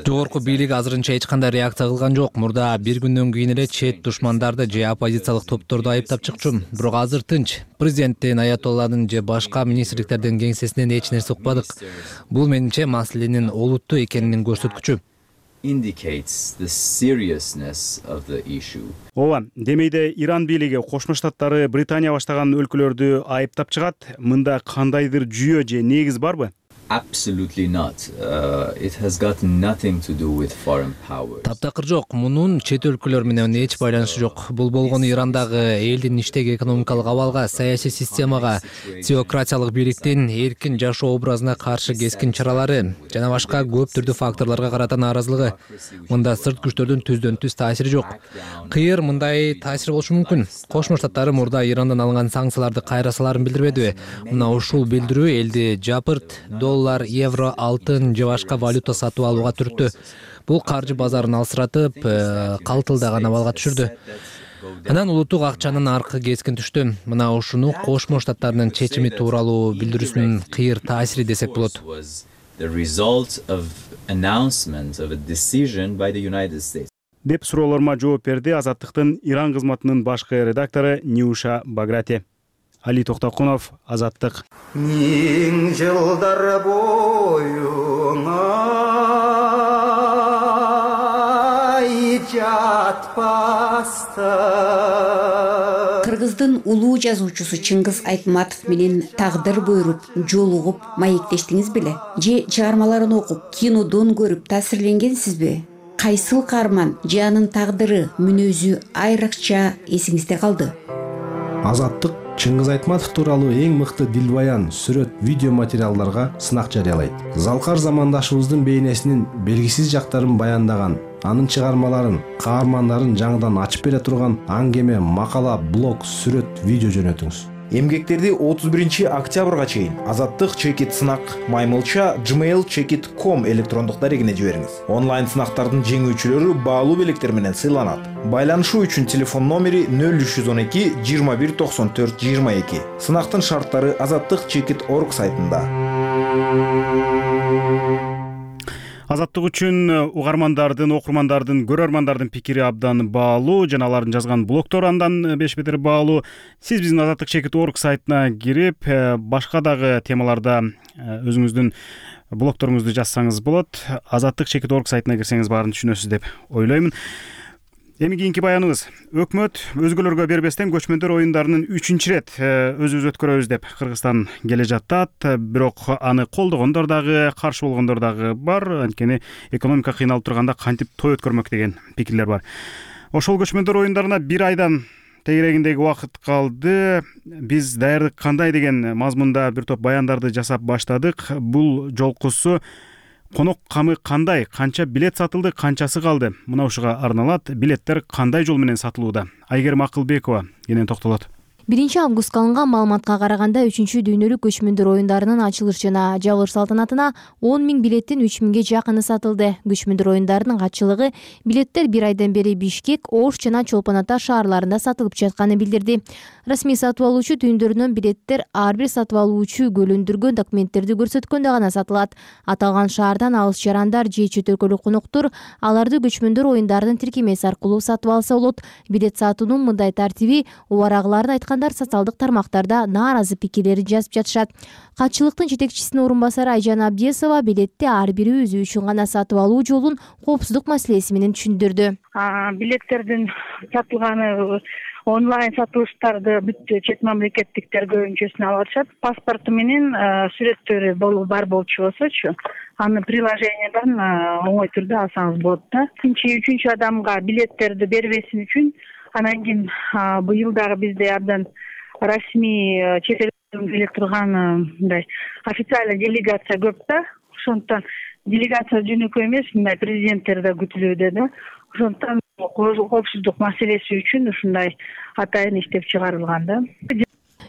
Жогорку бийлик азырынча эч кандай реакция кылган жок. Мурда бир күндөн кийин эле чет душмандарды же оппозициялык топторду айыптап чыкчу. Бирок азыр тынч. Президенттин, Аятолланын же башка министрликтердин кеңсесинен эч нерсе укпадык. Бул менимче маселенин олуттуу экенин көрсөткүчү. Indicates the seriousness of the issue. Ооба, демейде Иран бийлиги Кошмо Штаттары Британия баштаган өлкөлөрдү айыптап чыгат. Мында кандайдыр жүйө же негиз барбы? Absolutely not. Uh, it has got nothing to do with foreign powers. Таптакыр жок. Мунун чет өлкөлөр менен эч байланышы жок. Бул болгону Ирандагы элдин иштеги экономикалык абалга, саясий системага, теократиялык бийликтин эркин жашоо образына каршы кескин чаралары жана башка көп түрдүү факторлорго карата нааразылыгы. Мында сырт күчтөрдүн түздөн түз таасири жок. Кыйыр мындай таасир болушу мүмкүн. Кошмо Штаттары мурда Ирандан алынган санкцияларды кайрасаларын билдирбедиби? Мына ушул билдирүү элди жапырт, доллар, евро, алтын же башка валюта сатып алууга түрттү. Бул каржы базарын алсыратып, калтылдаган абалга түшүрдү. Анан улуттук акчанын аркы кескин түштү. Мына ушуну Кошмо Штаттарынын чечими тууралуу билдирүүсүнүн кыйыр таасири десек болот. The result of announcement of a decision by the United States. Деп суроолорума жооп берди Азаттыктын Иран кызматынын башкы редактору Ниуша Баграти. Али Токтокунов, Азаттык. Миң жылдар боюңа жатпастан. Кыргыздын улуу жазуучусу Чыңгыз Айтматов менен тагдыр буйруп, жолугуп, маектештиңиз беле? Же чыгармаларын окуп, кинодон көрүп таасирленгенсизби? Кайсыл каарман же анын тагдыры, мүнөзү айрыкча эсиңизде калды? Азаттык Чыңгыз Айтматов тууралуу эң мыкты дилбаян, сүрөт, видео материалдарга сынак жарыялайт. Залкар замандашыбыздын бейнесинин белгисиз жактарын баяндаган, анын чыгармаларын, каармандарын жаңыдан ачып бере турган аңгеме, макала, блог, сүрөт, видео жөнөтүңүз. Эмгектерди отуз биринчи октябрга чейин азаттык чекит сынак маймылча gmail chekit точка com электрондук дарегине жибериңиз. Онлайн сынактардын жеңүүчүлөрү баалуу белектер менен сыйланат. Байланышуу үчүн телефон номери нөл үч жүз он эки жыйырма бир токсон төрт жыйырма эки. Сынактын шарттары азаттык чекит точка орг сайтында. Азаттык үчүн угармандардын, окурмандардын, көрөрмандардын пикири абдан баалуу жана алардын жазган блогтору андан беш бетер баалуу. Сиз биздин азаттык чекит точка орг сайтына кирип, башка дагы темаларда өзүңүздүн блогторуңузду жазсаңыз болот. азаттык чекит точка орг сайтына кирсеңиз баарын түшүнөсүз деп ойлоймун. Эми кийинки баяныбыз. Өкмөт өзгөлөргө бербестен көчмөндөр оюндарынын үчүнчү ирет өзүбүз өткөрөбүз деп Кыргызстан келе жатат. Бирок аны колдогондор дагы, каршы болгондор дагы бар. Анткени экономика кыйналып турганда кантип той өткөрмөк деген пикирлер бар. Ошол көчмөндөр оюндарына бир айдан тегерегиндеги убакыт калды. Биз даярдык кандай деген мазмунда бир топ баяндарды жасап баштадык. Бул жолкусу конок камы кандай, канча билет сатылды, канчасы калды? Мына ушуга арналат. Билеттер кандай жол менен сатылууда? Айгерим Акылбекова кенен токтолот. биринчи августка алынган маалыматка караганда үчүнчү дүйнөлүк көчмөндөр оюндарынын ачылыш жана жабылыш салтанатына он миң билеттин үч миңге жакыны сатылды. Көчмөндөр оюндарынын катчылыгы билеттер бир айдан бери Бишкек, Ош жана Чолпон Ата шаарларында сатылып жатканын билдирди. Расмий сатып алуучу түйүндөрүнөн билеттер ар бир сатып алуучу көлөндүргөн документтерди көрсөткөндө гана сатылат. Аталган шаардан алыс жарандар же чет өлкөлүк коноктор аларды көчмөндөр оюндарынын тиркемеси аркылуу сатып алса болот. Билет сатуунун мындай тартиби убарагыларды айткан социалдык тармактарда нааразы пикирлерин жазып жатышат. Катчылыктын жетекчисинин орун басары Айжан Абдиесова билетти ар бири өзү үчүн гана сатып алуу жолун коопсуздук маселеси менен түшүндүрдү. Билеттердин сатылганы онлайн сатылыштарды бүт чет мамлекеттиктер көбүнчөсүн алып атышат. Паспорту менен сүрөттөрү бар болчу болсочу, аны приложениеден оңой түрдө алсаңыз болот да. Экинчи, үчүнчү адамга билеттерди бербесин үчүн анан кийин быйыл дагы бизде абдан расмий чет элден келе турган мындай официальный делегация көп да. Ошондуктан делегация жөнөкөй эмес, мындай президенттер да күтүлүүдө да. Ошондуктан коопсуздук маселеси үчүн ушундай атайын иштеп чыгарылган да.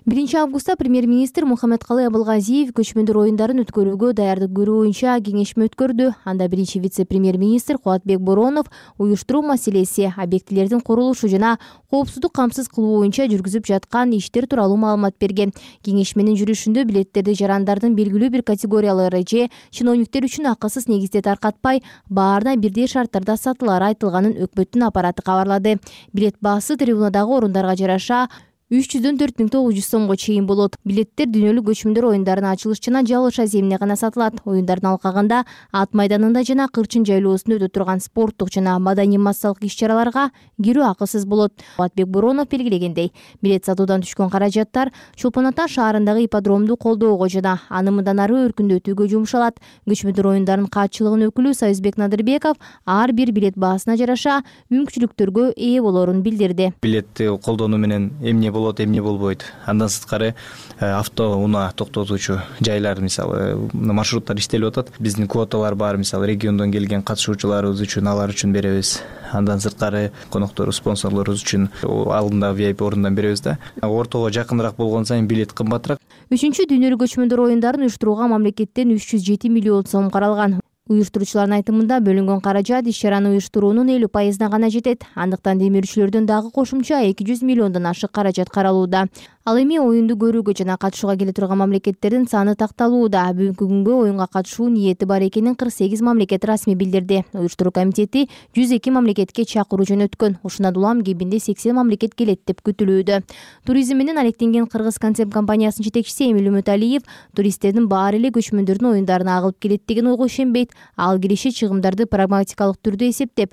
биринчи августта премьер-министр Мухаммедкалый Абылгазиев көчмөндөр оюндарын өткөрүүгө даярдык көрүү боюнча кеңешме өткөрдү. Анда биринчи вице-премьер-министр Кубатбек Боронов уюштуруу маселеси, объектилердин курулушу жана коопсуздук камсыз кылуу боюнча жүргүзүп жаткан иштер тууралуу маалымат берген. Кеңешменин жүрүшүндө билеттерди жарандардын белгилүү бир категориялары же чиновниктер үчүн акысыз негизде таркатпай, баарына бирдей шарттарда сатылары айтылганын өкмөттүн аппараты кабарлады. Билет баасы трибунадагы орундарга жараша үч жүздөн төрт миң тогуз жүз сомго чейин болот. Билеттер дүйнөлүк көчмөндөр оюндарынын ачылыш жана жабылыш аземине гана сатылат. Оюндардын алкагында ат майданында жана Кырчын жайлоосунда өтө турган спорттук жана маданий массалык иш-чараларга кирүү акысыз болот. Кубатбек Боронов белгилегендей, билет сатуудан түшкөн каражаттар Чолпон Ата шаарындагы ипподромду колдоого жана аны мындан ары өркүндөтүүгө жумшалат. Көчмөндөр оюндарынын катчылыгынын өкүлү Союзбек Надырбеков ар бир билет баасына жараша мүмкүнчүлүктөргө ээ болоорун билдирди. Билетти колдонуу менен эмне болот, эмне болбойт. Андан сырткары авто унаа токтотуучу жайлар, мисалы, маршруттар иштелип атат. Биздин квоталар бар, мисалы, региондон келген катышуучуларыбыз үчүн, алар үчүн беребиз. Андан сырткары коноктору, спонсорлорубуз үчүн алдында ви ай пи орундан беребиз да. Ортого жакыныраак болгон сайын билет кымбатыраак. Үчүнчү дүйнөлүк көчмөндөр оюндарын уюштурууга мамлекеттен үч жүз жети миллион сом каралган. Уюштуруучулардын айтымында бөлүнгөн каражат иш-чараны уюштуруунун элүү пайызына гана жетет. Андыктан демирүүчүлөрдөн дагы кошумча эки жүз миллиондон ашык каражат каралууда. Ал эми оюнду көрүүгө жана катышууга келе турган мамлекеттердин саны такталууда. Бүгүнкү күнгө оюнга катышуу ниети бар экенин кырк сегиз мамлекет расмий билдирди. Уюштуруу комитети жүз эки мамлекетке чакыруу жөнөткөн. Ушундан улам кебинде сексен мамлекет келет деп күтүлүүдө. Туризм менен алектенген Кыргыз концерт компаниясынын жетекчиси Эмил Үмүталиев туристтердин баары эле көчмөндөрдүн оюндарына агылып келет деген ойго ишенбейт. Ал кириши чыгымдарды прагматикалык түрдө эсептеп,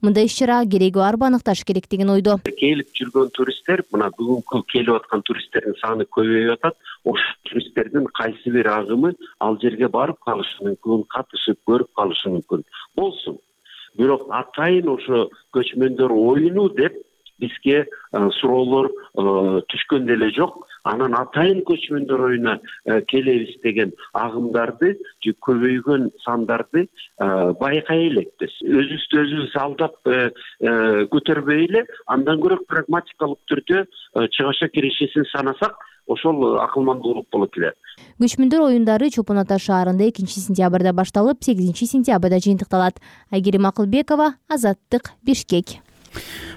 мындай иш-чара кереги барбы аныкташ керек деген ойдо. Келип жүргөн туристтер, мына бүгүнкү келип аткан туристтердин саны көбөйүп атат. Ошол туристтердин кайсы бир агымы ал жерге барып калышы мүмкүн, катышып көрүп калышы мүмкүн. Болсун. Бирок атайын ошо көчмөндөр оюну деп бизге суроолор түшкөн деле жок. Анан атайын көчмөндөр оюна келебиз деген агымдарды же көбөйгөн сандарды байкай элекпиз. Өзүбүздү өзүбүз алдап көтөрбөй эле андан көрө прагматикалык түрдө чыгышка киришесин санасак, ошол акылмандуулук болот эле. Көчмөндөр оюндары Чолпон Ата шаарында экинчи сентябрда башталып, сегизинчи сентябрда жыйынтыкталат. Айгерим Акылбекова, Азаттык, Бишкек.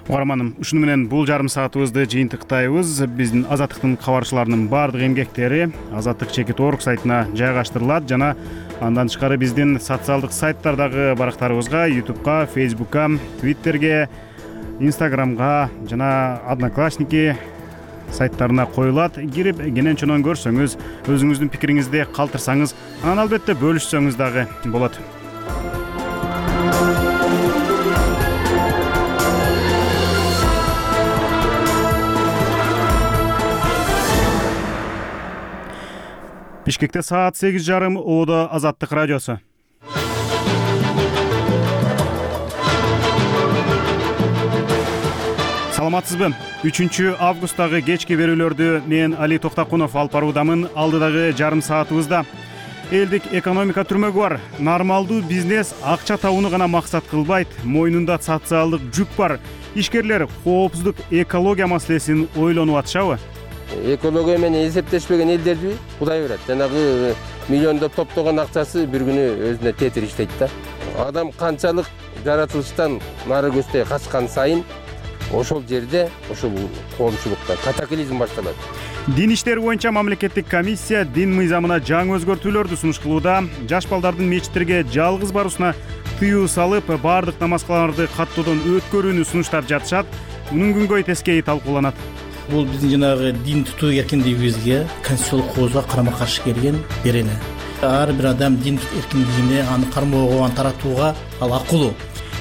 Угарманым, ушуну менен бул жарым саатыбызды жыйынтыктайбыз. Биздин Азаттыктын кабарчыларынын баардык эмгектери Азаттык чекит орг сайтына жайгаштырылат жана андан тышкары биздин социалдык сайттардагы барактарыбызга, ютубка, фейсбукка, твиттерге, инстаграмга жана одноклассники сайттарына коюлат. Кирип кенен чонон көрсөңүз, өзүңүздүн пикириңизди калтырсаңыз, анан албетте бөлүшсөңүз дагы болот. Бишкекте саат сегиз жарым, Оодо Азаттык радиосу. Саламатсызбы? үчүнчү августтагы кечки берүүлөрдү мен Али Токтакунов алып баруудамын. Алдыдагы жарым саатыбызда элдик экономика түрмөгү бар. Нормалдуу бизнес акча табууну гана максат кылбайт, мойнунда социалдык жүк бар. Ишкерлер коопсуздук, экология маселесин ойлонуп атышабы? Экология менен эсептешпеген элдерди Кудай берет. Жанагы миллиондоп топтогон акчасы бир күнү өзүнө тетир иштейт да. Адам канчалык жаратылыштан нары көздөй качкан сайын ошол жерде ошол коомчулукта катаклизм башталат. Дин иштери боюнча мамлекеттик комиссия дин мыйзамына жаңы өзгөртүүлөрдү сунуш кылууда. Жаш балдардын мечиттерге жалгыз баруусуна тыюу салып, баардык намазкаларды каттоодон өткөрүүнү сунуштап жатышат. Мунун күнгөй тескейи талкууланат. Бул биздин жанагы дин тутуу эркиндигибизге конституциялык коозго карама каршы келген берене. Ар бир адам дин эркиндигине, аны кармоого, аны таратууга ал акылуу.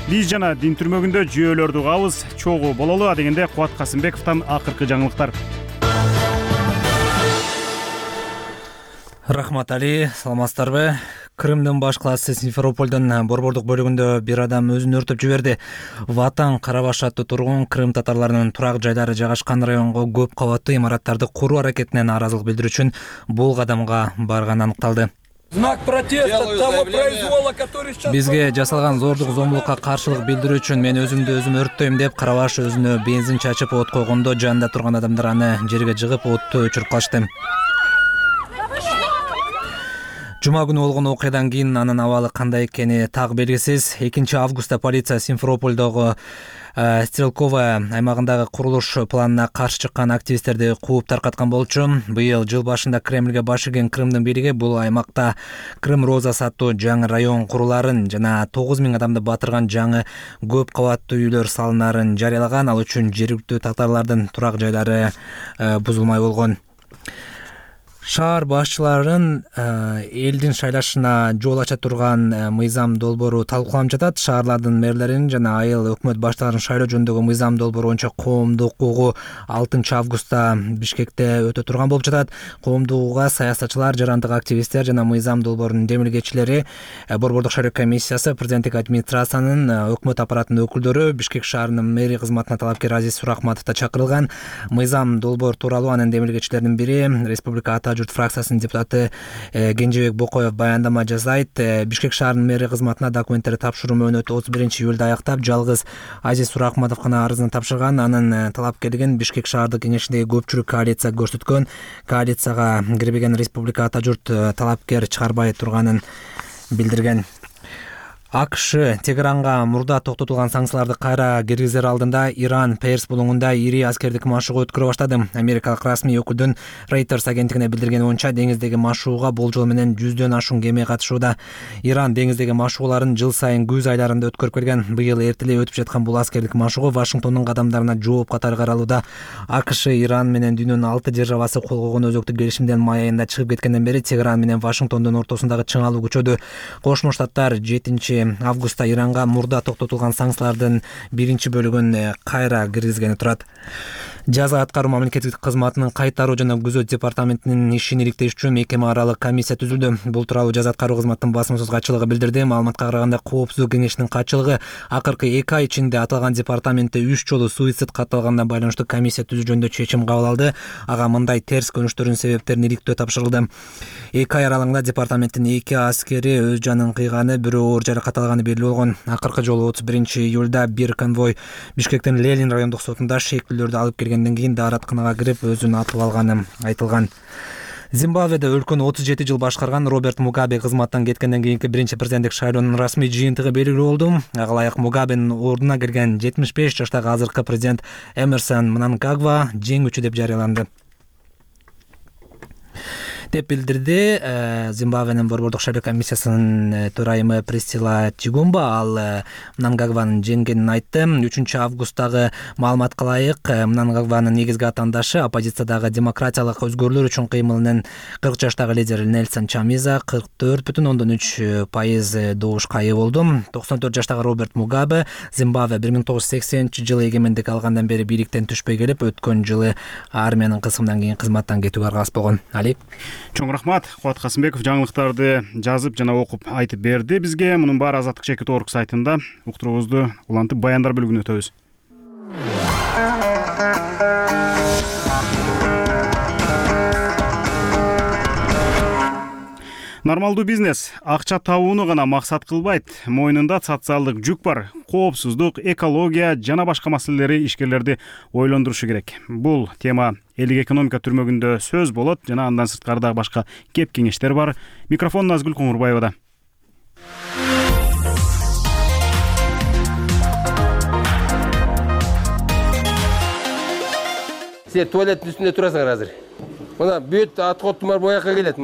Биз жана дин түрмөгүндө жүйөлөрдү угабыз. Чогуу бололу дегенде Кубат Касымбековдон акыркы жаңылыктар. Рахмат Али, саламатсыздарбы? Крымдын баш классы Симферополдун борбордук бөлүгүндө бир адам өзүн өртөп жиберди. Ватан Карабаш аттуу тургун Крым татарларынын турак жайлары жайгашкан районго көп кабаттуу имараттарды куруу аракетине нааразылык билдирүү үчүн бул кадамга барганы аныкталды. Знак протеста того произвола, который сейчас... Бизге жасалган зордук зомбулукка каршылык билдирүү үчүн мен өзүмдү өзүм өрттөйм деп Карабаш өзүнө бензин чачып от койгондо жанында турган адамдар аны жерге жыгып отту өчүрүп калышты. Жума күнү болгон окуядан кийин анын абалы кандай экени так белгисиз. экинчи августта полиция Симферопольдогу Стрелковая аймагындагы курулуш планына каршы чыккан активисттерди кууп таркаткан болчу. Быйыл жыл башында Кремльге баш ийген Крымдын бийлиги бул аймакта Крым Розасы аттуу жаңы район куруларын жана тогуз миң адамды батырган жаңы көп кабаттуу үйлөр салынаарын жарыялаган. Ал үчүн жергиликтүү татарлардын турак жайлары бузулмай болгон. Шаар башчыларын элдин шайлашына жол ача турган мыйзам долбоору талкууланып жатат. Шаарлардын мэрлерин жана айыл өкмөт баштыктарын шайлоо жөнүндөгү мыйзам долбоору боюнча коомдук угуу алтынчы августта Бишкекте өтө турган болуп жатат. Коомдук угууга саясатчылар, жарандык активисттер жана мыйзам долбоорунун демилгечилери, борбордук шайлоо комиссиясы, президенттик администрациянын, өкмөт аппаратынын өкүлдөрү, Бишкек шаарынын мэри кызматына талапкер Азиз Сурахматов да чакырылган. Мыйзам долбоор тууралуу анын демилгечилеринин бири Республика Ата журт фракциясынын депутаты Кенжебек Бокоев баяндама жасайт. Бишкек шаарынын мэри кызматына документтерди тапшыруу мөөнөтү отуз биринчи июлда аяктап, жалгыз Азиз Сурахматов гана арызын тапшырган. Анын талапкерлигин Бишкек шаардык кеңешиндеги көпчүлүк коалиция көрсөткөн. Коалицияга кирбеген Республика Ата журт талапкер чыгарбай турганын билдирген. АКШ Тегеранга мурда токтотулган санкцияларды кайра киргизер алдында Иран Перс булуңунда ири аскердик машыгуу өткөрө баштады. Америкалык расмий өкүлдүн Reuters агенттигине билдиргени боюнча деңиздеги машыгууга болжол менен жүздөн ашуун кеме катышууда. Иран деңиздеги машыгууларын жыл сайын күз айларында өткөрүп келген. Быйыл эртелей өтүп жаткан бул аскердик машыгуу Вашингтондун кадамдарына жооп катары каралууда. АКШ Иран менен дүйнөнүн алты державасы кол койгон өзөктүк келишимден май айында чыгып кеткенден бери Тегеран менен Вашингтондун ортосундагы чыңалуу күчөдү. Кошмо Штаттар жетинчи августта Иранга мурда токтотулган санкциялардын биринчи бөлүгүн кайра киргизгени турат. Жаза аткаруу мамлекеттик кызматынын кайтаруу жана күзөт департаментинин ишин иликтеш үчүн мекеме аралык комиссия түзүлдү. Бул тууралуу жаза аткаруу кызматынын басмасөз катчылыгы билдирди. Маалыматка караганда, Коопсуздук кеңешинин катчылыгы акыркы эки ай ичинде аталган департаментте үч жолу суицид катталганына байланыштуу комиссия түзүү жөнүндө чечим кабыл алды. Ага мындай терс көрүнүштөрдүн себептерин иликтөө тапшырылды. Эки ай аралыгында департаменттин эки аскери өз жанын кыйганы, бирөө оор жаракат алганы белгилүү болгон. Акыркы жолу отуз биринчи июлда бир конвой Бишкектин Ленин райондук сотунда шектүүлөрдү алып келген кийин дааратканага кирип өзүн атып алганы айтылган. Зимбабведе өлкөнү отуз жети жыл башкарган Роберт Мугабе кызматтан кеткенден кийинки биринчи президенттик шайлоонун расмий жыйынтыгы белгилүү болду. Ага ылайык Мугабенин ордуна келген жетимиш беш жаштагы азыркы президент Эмерсон Мнангагва жеңүүчү деп жарыяланды деп билдирди Зимбабвенин борбордук шайлоо комиссиясынын төрайымы Присцилла Чигумба. Ал Мнангагванын жеңгенин айтты. үчүнчү августтагы маалыматка ылайык, Мнангагванын негизги атаандышы оппозициядагы демократиялык өзгөрүүлөр үчүн кыймылынын кырк жаштагы лидери Нельсон Чамиза кырк төрт бүтүн ондон үч пайыз добушка ээ болду. токсон төрт жаштагы Роберт Мугабе Зимбабве бир миң тогуз жүз сексенинчи жылы эгемендик алгандан бери бийликтен түшпөй келип, өткөн жылы армиянын кысымынан кийин кызматтан кетүүгө аргасыз болгон. Али Чоң рахмат. Кубат Касымбеков жаңылыктарды жазып жана окуп айтып берди бизге. Мунун баары Азаттык чекит орг сайтында. Уктуруубузду улантып баяндар бөлүгүнө өтөбүз. Нормалдуу бизнес акча табууну гана максат кылбайт. Мойнунда социалдык жүк бар. Коопсуздук, экология жана башка маселелери ишкерлерди ойлондурушу керек. Бул тема элдик экономика түрмөгүндө сөз болот жана андан сырткары дагы башка кеп кеңештер бар. Микрофон Назгүл Коңурбаевада. Сен туалеттин үстүндө турасың азыр. Мына бүт аткоттун бар боякка келет.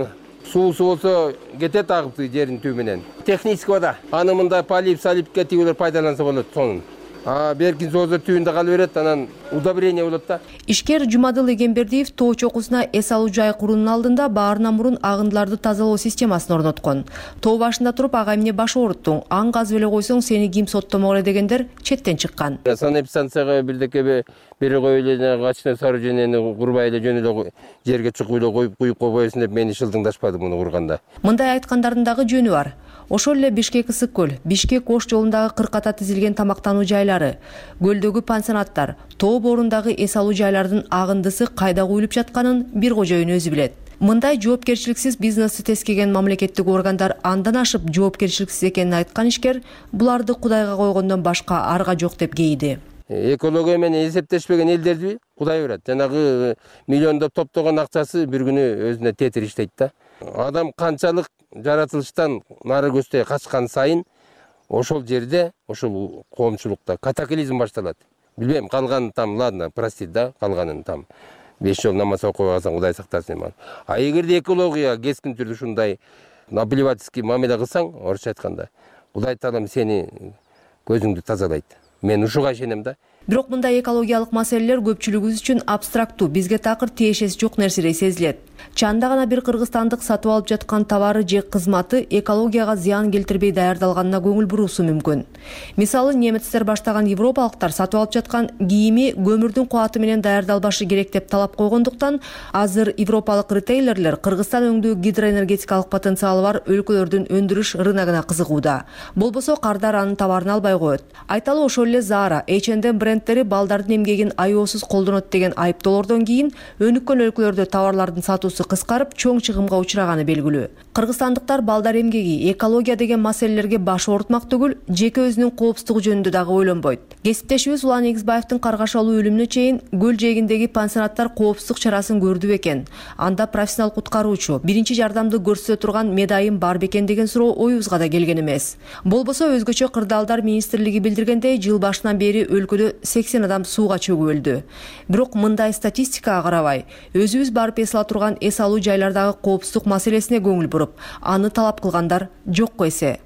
Суусу болсо кетет агып жердин түбү менен. Технический вода. Аны мында полип, салипке тигилер пайдаланса болот сонун. А беркин соозор түбүндө кала берет, анан удобрение болот да. Ишкер Жумадыл Эгембердиев тоо чокусуна эс алуу жай куруунун алдында баарынан мурун агындыларды тазалоо системасын орноткон. Тоо башында туруп ага эмне баш ооруттуң, аң казып эле койсоң сени ким соттомок эле дегендер четтен чыккан. Санэпидстанцияга бирдеке бери коюп эле качкан сооружениени курбай эле жөн эле жерге чукуп эле коюп куюп койбойсуң деп мени шылдыңдашпады муну курганда. Мындай айткандардын дагы жөнү бар. Ошол эле Бишкек Ысык көл, Бишкек Ош жолундагы кырката тизилген тамактануу жайлары, көлдөгү пансионаттар, тоо боорундагы эс алуу жайлардын агындысы кайда куюлуп жатканын бир кожоюн өзү билет. Мындай жоопкерчиликсиз бизнести тескеген мамлекеттик органдар андан ашып жоопкерчиликсиз экенин айткан ишкер буларды Кудайга койгондон башка арга жок деп кейди. Экология менен эсептешпеген элдерди Кудай берет. Жанагы миллиондоп топтогон акчасы бир күнү өзүнө тетир иштейт да. Адам канчалык жаратылыштан нары көздөй качкан сайын ошол жерде, ошол коомчулукта катаклизм башталат. Билбейм, калганын там, ладно, простит да, калганын там беш жол намаз окуп алсаң Кудай сактасын. А эгерде экология кескин түрдө ушундай наплевательский мамиле кылсаң, орусча айтканда, Кудай Таалам сени көзүңдү тазалайт. Мен ушуга ишенем да. Бирок мындай экологиялык маселелер көпчүлүгүбүз үчүн абстрактуу, бизге такыр тиешеси жок нерседей сезилет. Чанда гана бир кыргызстандык сатып алып жаткан товары же кызматы экологияга зыян келтирбей даярдалганына көңүл буруусу мүмкүн. Мисалы, немецтер баштаган европалыктар сатып алып жаткан кийими көмүрдүн кубаты менен даярдалбашы керек деп талап койгондуктан, азыр европалык ритейлерлер Кыргызстан өңдүү гидроэнергетикалык потенциалы бар өлкөлөрдүн өндүрүш рыногуна кызыгууда. Болбосо кардар анын товарын албай коет. Айталы, ошол эле Zara, эйч энд эм брендтери балдардын эмгегин аеосуз колдонот деген айыптоолордон кийин өнүккөн өлкөлөрдө товарлардын сатуусу кыскарып, чоң чыгымга учураганы белгилүү. Кыргызстандыктар балдар эмгеги, экология деген маселелерге баш оорутмак түгүл, жеке өзүнүн коопсуздугу жөнүндө дагы ойлонбойт. Кесиптешибиз Улан Эгизбаевдин каргашалуу өлүмүнө чейин көл жээгиндеги пансионаттар коопсуздук чарасын көрдү бекен? Анда профессионал куткаруучу, биринчи жардамды көрсөтө турган медайым бар бекен деген суроо оюбузга да келген эмес. Болбосо өзгөчө кырдаалдар министрлиги билдиргендей, жыл башынан бери өлкөдө сексен адам сууга чөгүп өлдү. Бирок мындай статистикага карабай, өзүбүз барып эс ала турган эс алуу жайлардагы коопсуздук маселесине көңүл буруп, аны талап кылгандар жокко эсе.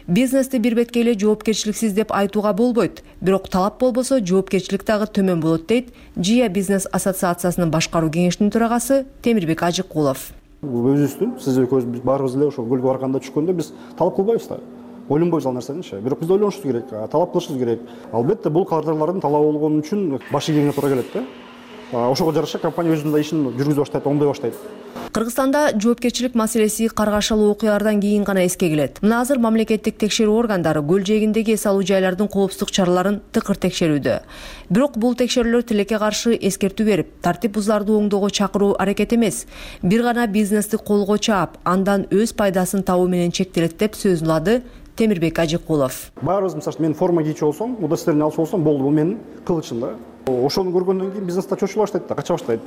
Бизнести бир бетке эле жоопкерчиликсиз деп айтууга болбойт, бирок талап болбосо жоопкерчилик дагы төмөн болот дейт Жия бизнес ассоциациясынын башкаруу кеңешинин төрагасы Темирбек Ажыкулов. Өзүбүздүн, сиз экөөбүз баарыбыз эле ошол көлгө барганда түшкөндө биз талап кылбайбыз да. ойлонбойбуз ал нерсеничи. Бирок биз ойлонушубуз керек, талап кылышыбыз керек. Албетте бул кадрлардын талабы болгон үчүн баш ийгенге туура келет да. Ошого жараша компания өзүнүн ишин жүргүзө баштайт, оңдой баштайт. Кыргызстанда жоопкерчилик маселеси каргашалуу окуялардан кийин гана эске келет. Мына азыр мамлекеттик текшерүү органдары көл жээгиндеги эс алуу жайлардын коопсуздук чараларын тыкыр текшерүүдө. Бирок бул текшерүүлөр тилекке каршы эскертүү берип, тартип бузууларды оңдоого чакыруу аракет эмес, бир гана бизнести колго чаап, андан өз пайдасын табуу менен чектелет деп сөзүн улады Темирбек Ажыкулов. Баарыбыз, мисалы үчүн, мен форма кийчү болсом, удостоверение алчу болсом, болду, бул менин кылычым да. Ошону көргөндөн кийин бизнесте чочула баштайт да, кача баштайт.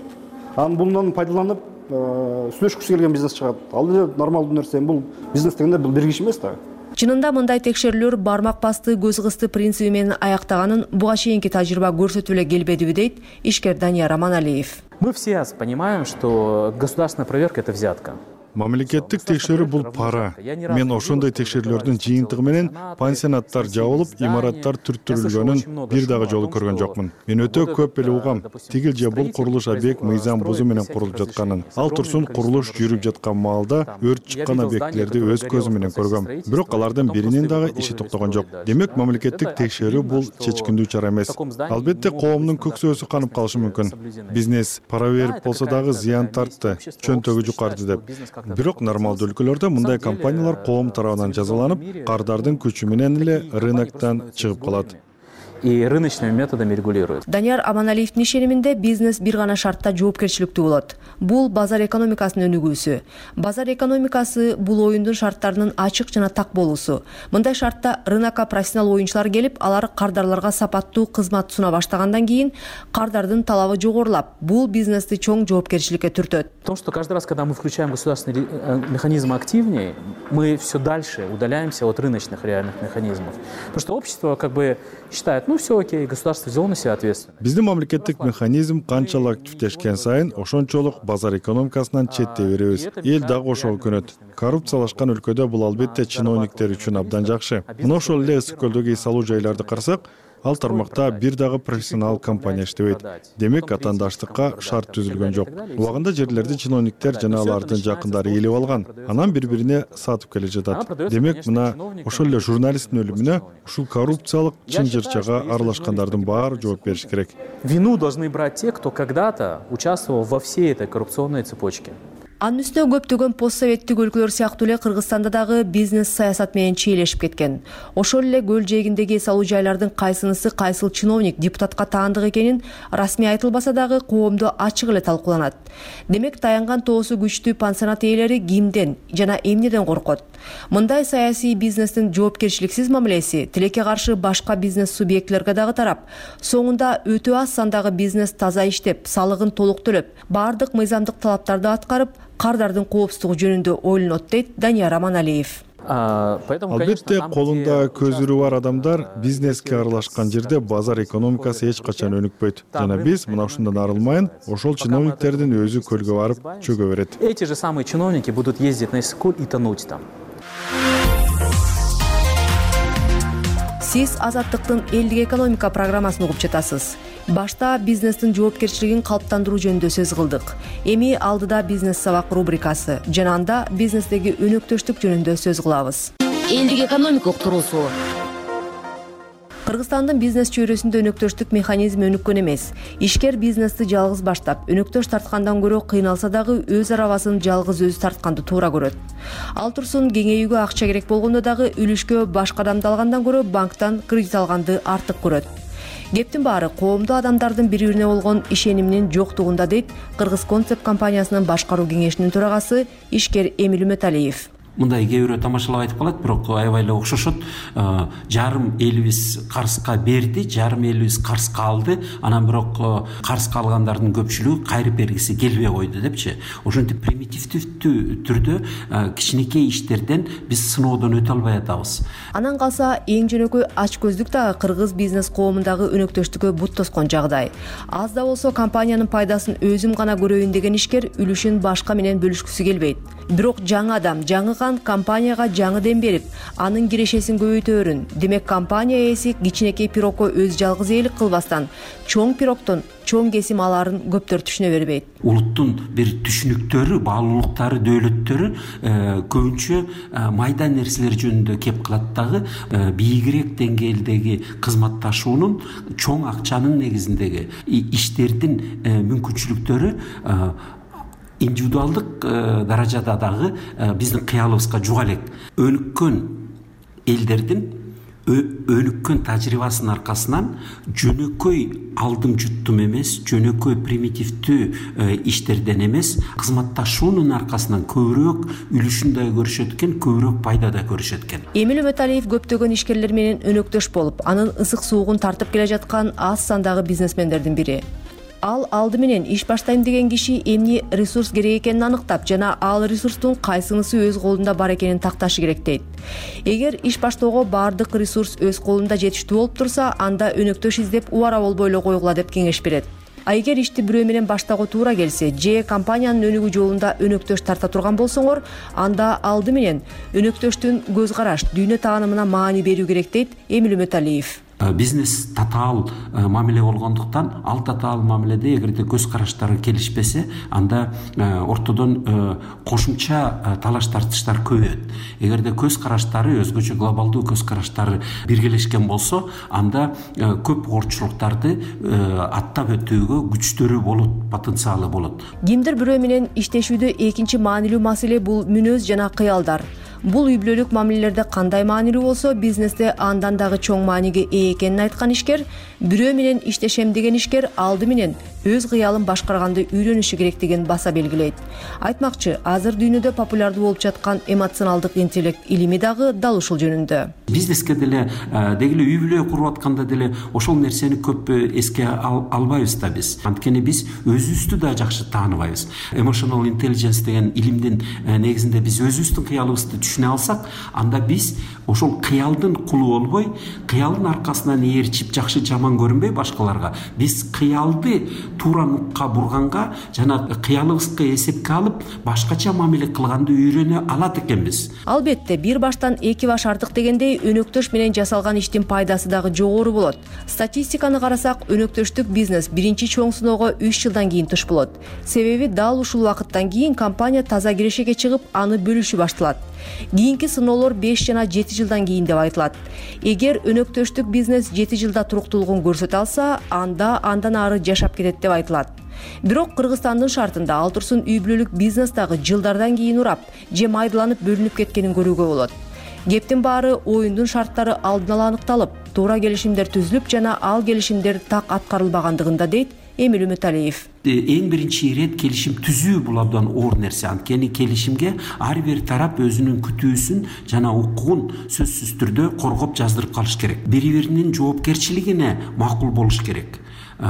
Анан bundan пайдаланып, сүйлөшкүсү келген бизнес чыгат. Ал эле нормалдуу нерсе. Бул бизнес дегенде бул бир киши эмес да. Чынында мындай текшерүүлөр бармак басты, көз кысты принциби менен аяктаганын буга чейинки тажрыйба көрсөтүп эле келбедиби дейт ишкер Данияр Аманалиев. Мы все понимаем, что государственная проверка — это взятка. Мамлекеттик текшерүү бул пара. Мен ошондой текшерүүлөрдүн жыйынтыгы менен пансионаттар жабылып, имараттар түрттүрүлгөнүн бир дагы жолу көргөн жокмун. Мен өтө көп эле угам. Тигил же бул курулуш объект мыйзам бузуу менен курулуп жатканын. Ал турсун курулуш жүрүп жаткан маалда өрт чыккан объектилерди өз көзүм менен көргөм. Бирок алардын биринин дагы иши токтогон жок. Демек, мамлекеттик текшерүү бул чечкиндүү чара эмес. Албетте, коомдун көксөөсү канып калышы мүмкүн. Бизнес пара берип болсо дагы зыян тартты, чөнтөгү жукарды деп. Бирок нормалдуу өлкөлөрдө мындай компаниялар коом тарабынан жазаланып, кардардын күчү менен эле рыноктон чыгып калат. И рыночными методами регулируют. Данияр Аманалиевдин ишениминде бизнес бир гана шартта жоопкерчиликтүү болот. Бул базар экономикасынын өнүгүүсү. Базар экономикасы бул оюндун шарттарынын ачык жана так болуусу. Мындай шартта рынокко профессионал оюнчулар келип, алар кардарларга сапаттуу кызмат суна баштагандан кийин кардардын талабы жогорулап, бул бизнести чоң жоопкерчиликке түртөт. Потому что каждый раз, когда мы включаем государственный механизм активнее, мы все дальше удаляемся от рыночных реальных механизмов. Потому что общество как бы считает, ну все окей, государство взяло на себя ответственность. Биздин мамлекеттик механизм канчалык активдешкен сайын ошончолук базар экономикасынан четтей беребиз. Эл дагы ошого көнөт. Коррупциялашкан өлкөдө бул албетте чиновниктер үчүн абдан жакшы. Мына ошол эле ысык көлдөгү эс алуу жайларды карасак, ал тармакта бир дагы профессионал компания иштебейт. Демек, атаандаштыкка шарт түзүлгөн жок. Убагында жерлерди чиновниктер жана алардын жакындары ээлеп алган, анан бири-бирине сатып келе жатат. Демек, мына ошол эле журналисттин өлүмүнө ушул коррупциялык чынжырчага аралашкандардын баары жооп бериш керек. Вину должны брать те, кто когда-то участвовал во всей этой коррупционной цепочке. Анын үстүнө көптөгөн постсоветтик өлкөлөр сыяктуу эле Кыргызстанда дагы бизнес саясат менен чийлешип кеткен. Ошол эле көл жээгиндеги эс алуу жайлардын кайсынысы кайсыл чиновник, депутатка таандык экенин расмий айтылбаса дагы коомдо ачык эле талкууланат. Демек, таянган тоосу күчтүү пансионат ээлери кимден жана эмнеден коркот? Мындай саясий бизнестин жоопкерчиликсиз мамилеси тилекке каршы башка бизнес субъектилерге дагы тарап, соңунда өтө аз сандагы бизнес таза иштеп, салыгын толук төлөп, баардык мыйзамдык талаптарды аткарып, кардардын коопсуздугу жөнүндө ойлонот дейт Данияр Аманалиев. Албетте, колунда көзүрү бар адамдар бизнеске аралашкан жерде базар экономикасы эч качан өнүкпөйт. Жана биз мына ушундан арылмайын, ошол чиновниктердин өзү көлгө барып чөгө берет. Эти же самые чиновники будут ездить на Иссык-Куль и тонуть там. Сиз Азаттыктын элдик экономика программасын угуп жатасыз. Башта бизнестин жоопкерчилигин калыптандыруу жөнүндө сөз кылдык. Эми алдыда бизнес сабак рубрикасы, жана анда бизнестеги өнөктөштүк жөнүндө сөз кылабыз. Элдик экономика уктуруусу. Кыргызстандын бизнес чөйрөсүндө өнөктөштүк механизми өнүккөн эмес. Ишкер бизнести жалгыз баштап, өнөктөш тарткандан көрө кыйналса дагы өз арабасын жалгыз өзү тартканды туура көрөт. Ал турсун кеңейүүгө акча керек болгондо дагы үлүшкө башка адамды алгандан көрө банктан кредит алганды артык көрөт. Кептин баары коомдо адамдардын бири-бирине болгон ишениминин жоктугунда дейт Кыргыз концепт компаниясынын башкаруу кеңешинин төрагасы ишкер Эмил Үмөталиев. Мындай кээ бирөө тамашалап айтып калат, бирок аябай эле окшошот. Жарым элибиз карызга берди, жарым элибиз карызга алды, анан бирок карызга алгандардын көпчүлүгү кайрып бергиси келбей койду депчи. Ошентип примитивдүү түрдө кичинекей иштерден биз сыноодон өтө албай атабыз. Анан калса эң жөнөкөй ачкөздүк дагы кыргыз бизнес коомундагы өнөктөштүккө бут тоскон жагдай. Аз да болсо компаниянын пайдасын өзүм гана көрөйүн деген ишкер үлүшүн башка менен бөлүшкүсү келбейт. бирок жаңы адам, жаңы кан компанияга жаңы дем берип, анын кирешесин көбөйтөөрүн. Демек компания ээси кичинекей пирогко өз жалгыз ээлик кылбастан, чоң пирогдон чоң кесим алаарын көптөр түшүнө бербейт. Улуттун бир түшүнүктөрү, баалуулуктары, дөөлөттөрү көбүнчө майда нерселер жөнүндө кеп калат дагы бийигирээк деңгээлдеги кызматташуунун, чоң акчанын негизиндеги иштердин мүмкүнчүлүктөрү индивидуалдык даражада дагы биздин кыялыбызга жуга элек. Өнүккөн элдердин өнүккөн тажрыйбасынын аркасынан жөнөкөй алдым жуттум эмес, жөнөкөй примитивдүү иштерден эмес, кызматташуунун аркасынан көбүрөөк үлүшүн да көрүшөт экен, көбүрөөк пайда да көрүшөт экен. Эмил Үмөталиев көптөгөн ишкерлер менен өнөктөш болуп, анын ысык суугун тартып келе жаткан аз сандагы бизнесмендердин бири. Ал алды менен иш баштайм деген киши эмне ресурс керек экенин аныктап жана ал ресурстун кайсынысы өз колунда бар экенин такташы керек дейт. Эгер иш баштоого баардык ресурс өз колунда жетиштүү болуп турса, анда өнөктөш издеп убара болбой эле койгула деп кеңеш берет. А эгер ишти бирөө менен баштоого туура келсе, же компаниянын өнүгүү жолунда өнөктөш тарта турган болсоңор, анда алды менен өнөктөштүн көз караш, дүйнө таанымына маани берүү керек дейт Эмил Үмөталиев. Бизнес татаал мамиле болгондуктан, ал татаал мамиледе эгерде көз караштары келишпесе, анда ортодон кошумча талаш тартыштар көбөйөт. Эгерде көз караштары, өзгөчө глобалдуу көз караштары биргелешкен болсо, анда көп оорчулуктарды аттап өтүүгө күчтөрү болот, потенциалы болот. Кимдир бирөө менен иштешүүдө экинчи маанилүү маселе бул мүнөз жана кыялдар. Бул үй бүлөлүк мамилелерде кандай маанилүү болсо, бизнесте андан дагы чоң мааниге ээ экенин айткан ишкер, бирөө менен иштешем деген ишкер алды менен өз кыялын башкарганды үйрөнүшү керектигин баса белгилейт. Айтмакчы, азыр дүйнөдө популярдуу болуп жаткан эмоционалдык интеллект илими дагы дал ушул жөнүндө. Бизнеске деле, деги эле үй бүлө куруп атканда деле ошол нерсени көп эске албайбыз да биз. Анткени биз өзүбүздү да жакшы тааныбайбыз. Emotional intelligence деген илимдин негизинде биз өзүбүздүн кыялыбызды түшүнө алсак, анда биз ошол кыялдын кулу болбой, кыялдын аркасынан ээрчип жакшы жаман көрүнбөй башкаларга, биз кыялды туура нукка бурганга жана кыялыбызга эсепке алып, башкача мамиле кылганды үйрөнө алат экенбиз. Албетте, бир баштан эки баш артык дегендей, өнөктөш менен жасалган иштин пайдасы дагы жогору болот. Статистиканы карасак, өнөктөштүк бизнес биринчи чоң сыноого үч жылдан кийин туш болот. Себеби дал ушул убакыттан кийин компания таза кирешеге чыгып, аны бөлүшү башталат. Кийинки сыноолор беш жана жети жылдан кийин деп айтылат. Эгер өнөктөштүк бизнес жети жылда туруктуулугун көрсөтө алса, анда андан ары жашап кетет деп айтылат. Бирок Кыргызстандын шартында ал турсун үй бүлөлүк бизнес дагы жылдардан кийин урап, же майдаланып бөлүнүп кеткенин көрүүгө болот. Кептин баары оюндун шарттары алдын ала аныкталып, туура келишимдер түзүлүп жана ал келишимдер так аткарылбагандыгында дейт Эмил Үмөталиев. Эң биринчи ирет келишим түзүү бул абдан оор нерсе. Анткени келишимге ар бир тарап өзүнүн күтүүсүн жана укугун сөзсүз түрдө коргоп жаздырып калыш керек. Бири биринин жоопкерчилигине макул болуш керек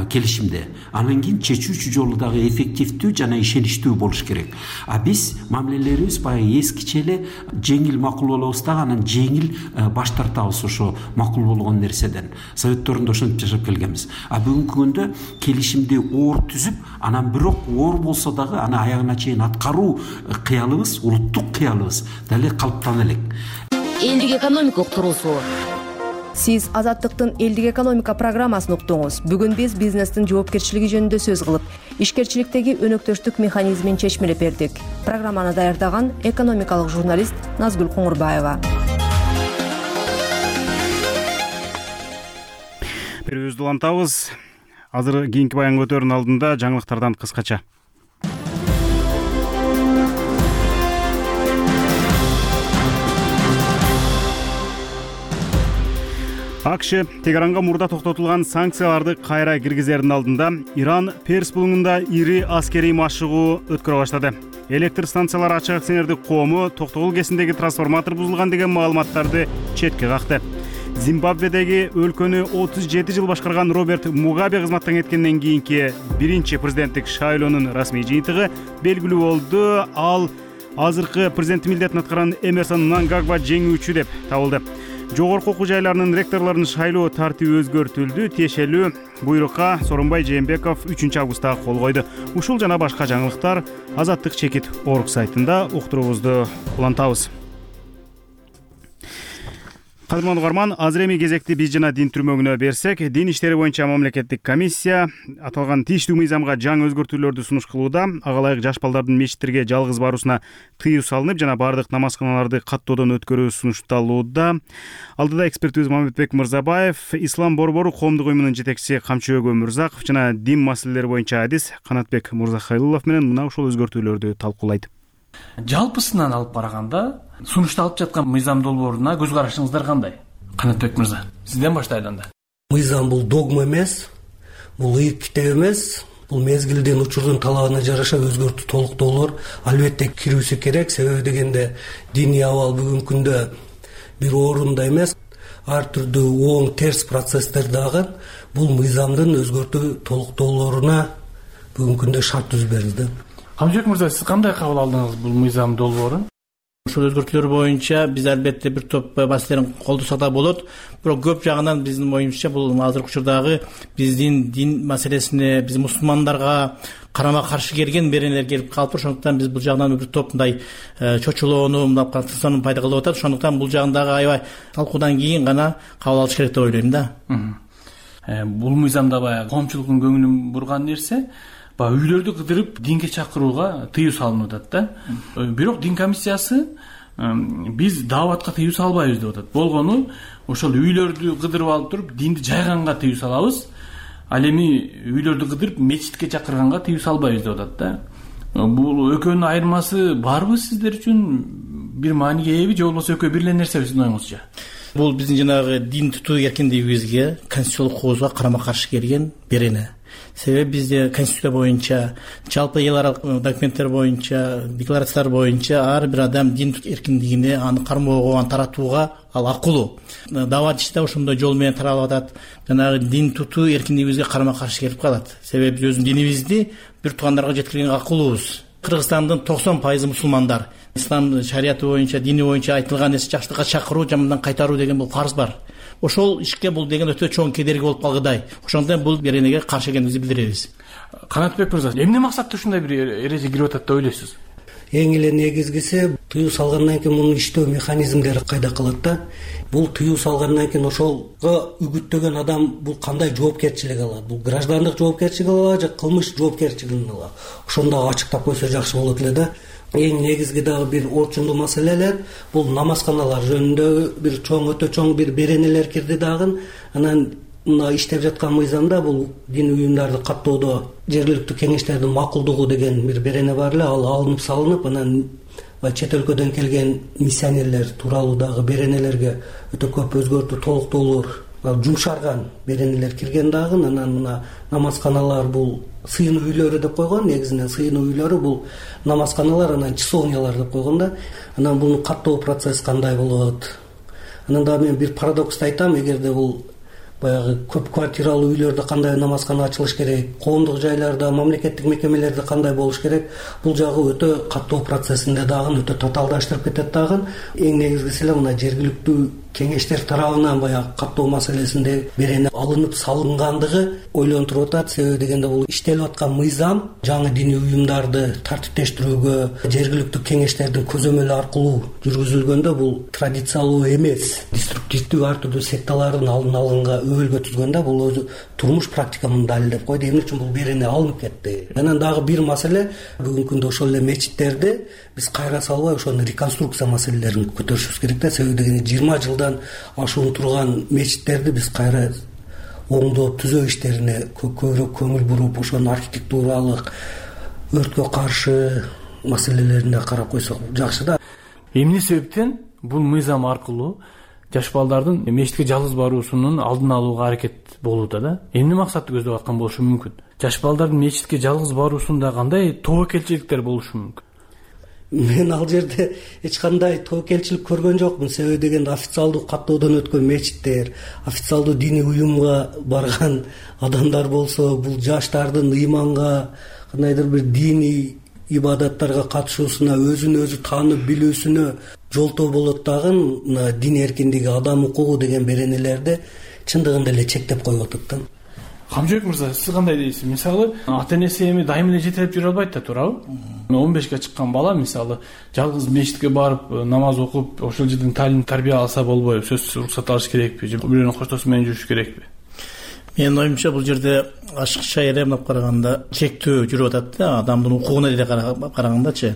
келишимде. Анан кийин чечүүчү жолу дагы эффективдүү жана ишеничтүү болуш керек. А биз мамилелерибиз баягы эскиче эле жеңил макул болобуз дагы, анан жеңил баш тартабыз ошо макул болгон нерседен. Советторунда ошентип жашап келгенбиз. А бүгүнкү күндө келишимди оор түзүп, анан бирок оор болсо дагы аны аягына чейин аткаруу кыялыбыз, улуттук кыялыбыз дале калыптана элек. Элдик экономика уктуруусу. Сиз Азаттыктын элдик экономика программасын уктуңуз. Бүгүн биз бизнестин жоопкерчилиги жөнүндө сөз кылып, ишкерчиликтеги өнөктөштүк механизмин чечмелеп бердик. Программаны даярдаган экономикалык журналист Назгүл Коңурбаева. Берүүбүздү улантабыз. Азыр кийинки баянга өтөөрүнүн алдында жаңылыктардан кыскача. АКШ Тегеранга мурда токтотулган санкцияларды кайра киргизердин алдында Иран Перс булуңунда ири аскерий машыгуу өткөрө баштады. Электр станциялары ачык акционердик коому токтогул кесиндеги трансформатор бузулган деген маалыматтарды четке какты. Зимбабведеги өлкөнү отуз жети жыл башкарган Роберт Мугабе кызматтан кеткенден кийинки биринчи президенттик шайлоонун расмий жыйынтыгы белгилүү болду. Ал азыркы президенттик милдетин аткарган Эмерсон Мнангагва жеңүүчү деп табылды. Жогорку окуу жайларынын ректорлорун шайлоо тартиби өзгөртүлдү. Тиешелүү буйрукка Сооронбай Жээнбеков үчүнчү августта кол койду. Ушул жана башка жаңылыктар Азаттык чекит орг сайтында уктуруубузду улантабыз. Кадырман угарман, азыр эми кезекти биз жана дин түрмөгүнө берсек, дин иштери боюнча мамлекеттик комиссия аталган тийиштүү мыйзамга жаңы өзгөртүүлөрдү сунуш кылууда. Ага ылайык жаш балдардын мечиттерге жалгыз баруусуна тыюу салынып, жана баардык намазканаларды каттоодон өткөрүү сунушталууда. Алдыда экспертибиз Мамедбек Мырзабаев, Ислам борбору коомдук уюмунун жетекчиси Камчыбек Өмүрзаков жана дин маселелери боюнча адис Канатбек Мырзахайлуулов менен мына ушул өзгөртүүлөрдү талкуулайт. Жалпысынан алып караганда, сунушталып жаткан мыйзам долбооруна көз карашыңыздар кандай? Канатбек мырза, сизден баштайлы анда. Мыйзам бул догма эмес, бул ыйык китеп эмес, бул мезгилдин учурдун талабына жараша өзгөртүү толуктоолор албетте кирүүсү керек. Себеби дегенде диний абал бүгүнкү күндө бир орунда эмес, ар түрдүү оң терс процесстер дагы бул мыйзамдын өзгөртүү толуктоолоруна бүгүнкү күндө шарт түзүп берилди. Камчыбек мырза, сиз кандай кабыл алдыңыз бул мыйзам долбоорун? Ушул өзгөртүүлөр боюнча биз албетте бир топ маселелерин колдосок да болот. Бирок көп жагынан биздин оюмча бул азыркы учурдагы биздин дин маселесине, биз мусулмандарга карама каршы келген беренелер келип калыптыр. Ошондуктан биз бул жагынан бир топ мындай чочулоону, мындай катысууну пайда кылып атат. Ошондуктан бул жагындагы аябай талкуудан кийин гана кабыл алыш керек деп ойлойм да. Бул мыйзамда баягы коомчулуктун көңүлүн бурган нерсе баягы үйлөрдү кыдырып динге чакырууга тыюу салынып атат да. Бирок дин комиссиясы биз дааватка тыюу салбайбыз деп атат. Болгону ошол үйлөрдү кыдырып алып туруп динди жайганга тыюу салабыз. Ал эми үйлөрдү кыдырып мечитке чакырганга тыюу салбайбыз деп атат да. Бул экөөнүн айырмасы барбы сиздер үчүн? Бир мааниге ээби же болбосо экөө бир эле нерсеби сиздин оюңузча? Бул биздин жанагы дин тутуу эркиндигибизге, конституциялык коозго карама каршы келген берене. Себеби бизде конституция боюнча, жалпы эл аралык документтер боюнча, декларациялар боюнча ар бир адам дин эркиндигине, аны кармоого, аны таратууга ал акылуу. Даават иши да ошондой жол менен таралып атат. Жанагы дин тутуу эркиндигибизге карама каршы келип калат. Себеби биз өзүбүздүн динибизди бир туугандарга жеткиргенге акылуубуз. Кыргызстандын токсон пайызы мусулмандар. Ислам шарияты боюнча, дини боюнча айтылган нерсе жакшылыкка чакыруу, жамандан кайтаруу деген бул фарз бар. Ошол ишке бул деген өтө чоң кедерги болуп калгыдай. Ошондон бул беренеге каршы экенибизди билдиребиз. Канатбек мырза, эмне максатта ушундай бир эреже кирип атат деп ойлойсуз? Эң эле негизгиси тыюу салгандан кийин мунун иштөө механизмдери кайда калат да. Бул тыюу салгандан кийин ошолго үгүттөгөн адам бул кандай жоопкерчилик алат? Бул граждандык жоопкерчилик алабы же кылмыш жоопкерчилигин алабы? Ошондо ачыктап койсо жакшы болот эле да. Эң негизги дагы бир орчундуу маселелер бул намазканалар жөнүндө бир чоң өтө чоң бир беренелер кирди дагы. Анан мына иштеп жаткан мыйзамда бул дин уюмдарды каттоодо жергиликтүү кеңештердин макулдугу деген бир берене бар эле, ал алынып салынып, анан чет өлкөдөн келген миссионерлер тууралуу дагы беренелерге өтө көп өзгөртүү толуктоолор, жумшарган беренелер кирген дагы. Анан мына намазканалар бул сыйын үйлөрү деп койгон, негизинен сыйын үйлөрү бул намазканалар, анан часовнялар деп койгон да. Анан буну каттоо процесс кандай болот? Анан дагы мен бир парадоксту айтам, эгерде бул баягы көп квартиралуу үйлөрдө кандай намазкана ачылыш керек, коомдук жайларда, мамлекеттик мекемелерде кандай болуш керек, бул жагы өтө каттоо процессинде дагы өтө татаалдаштырып кетет дагы. Эң негизгиси эле мына жергиликтүү кеңештер тарабынан баягы каттоо маселесинде берене алынып салынгандыгы ойлонтуруп атат. Себеби дегенде бул иштелип аткан мыйзам жаңы диний уюмдарды тартиптештирүүгө жергиликтүү кеңештердин көзөмөлү аркылуу жүргүзүлгөндө бул традициялуу эмес, деструктивдүү ар түрдүү секталардын алдын алганга өбөлгө түзгөндө бул өзү турмуш практиканын далилдеп койду. Эмне үчүн бул берене алынып кетти? Анан дагы бир маселе, бүгүнкү күндө ошол эле мечиттерди биз кайра салбай ошону реконструкция маселелерин көтөрүшүбүз керек да. Себеби дегенде жыйырма жылдан ашуун турган мечиттерди биз кайра оңдоп түзөө иштерине көбүрөөк көңүл буруп, ошонун архитектуралык, өрткө каршы маселелерине карап койсок жакшы да. Эмне себептен бул мыйзам аркылуу жаш балдардын мечитке жалгыз баруусунун алдын алууга аракет болууда да? Эмне максатты көздөп аткан болушу мүмкүн? Жаш балдардын мечитке жалгыз баруусунда кандай тобокелчиликтер болушу мүмкүн? Мен ал жерде эч кандай тобокелчилик көргөн жокмун. Себеби дегенде официалдуу каттоодон өткөн мечиттер, официалдуу диний уюмга барган адамдар болсо, бул жаштардын ыйманга, кандайдыр бир диний ибадаттарга катышуусуна, өзүн өзү таанып билүүсүнө жолтоо болот дагы мына дин эркиндиги, адам укугу деген беренелерди чындыгында эле чектеп коюп атат да. Камчыбек мырза, сиз кандай дейсиз? Мисалы, ата энеси эми дайым эле жетелеп жүрө албайт да, туурабы? он бешке чыккан бала мисалы жалгыз мечитке барып намаз окуп, ошол жерден таалим тарбия алса болбойбу? Сөзсүз уруксат алыш керекпи же бирөөнүн коштоосу менен жүрүш керекпи? Менин оюмча бул жерде ашыкча эле мынап караганда чектөө жүрүп атат да, адамдын укугуна деле карагандачы.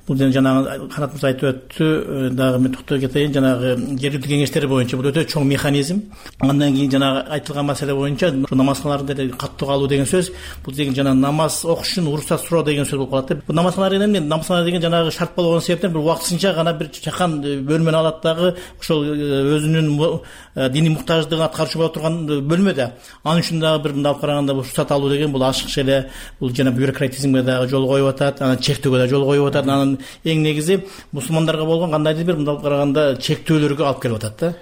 Бул жанагы Канат мырза айтып өттү, дагы мен токтоп кетейин, жанагы жергиликтүү кеңештер боюнча бул өтө чоң механизм. Андан кийин жанагы айтылган маселе боюнча намазканаларда деле каттуу калуу деген сөз, бул деген жанагы намаз окуш үчүн уруксат суроо деген сөз болуп калат да. Бул намазканалар деген намазканалар деген жанагы шарт болгон себептен бир убактысынча гана бир чакан бөлмөнү алат дагы, ошол өзүнүн диний муктаждыгын аткарчу боло турган бөлмө да. Анын үчүн дагы бир мындай караганда уруксат алуу деген бул ашыкча эле бул жана бюрократизмге дагы жол коюп атат, анан чектөөгө да жол коюп атат. Анан эң негизи мусулмандарга болгон кандайдыр бир мындай караганда чектөөлөргө алып келип атат да.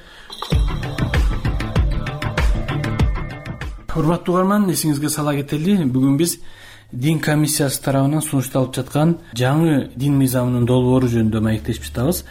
Урматтуу угарман, эсиңизге сала кетели, бүгүн биз дин комиссиясы тарабынан сунушталып жаткан жаңы дин мыйзамынын долбоору жөнүндө маектешип жатабыз.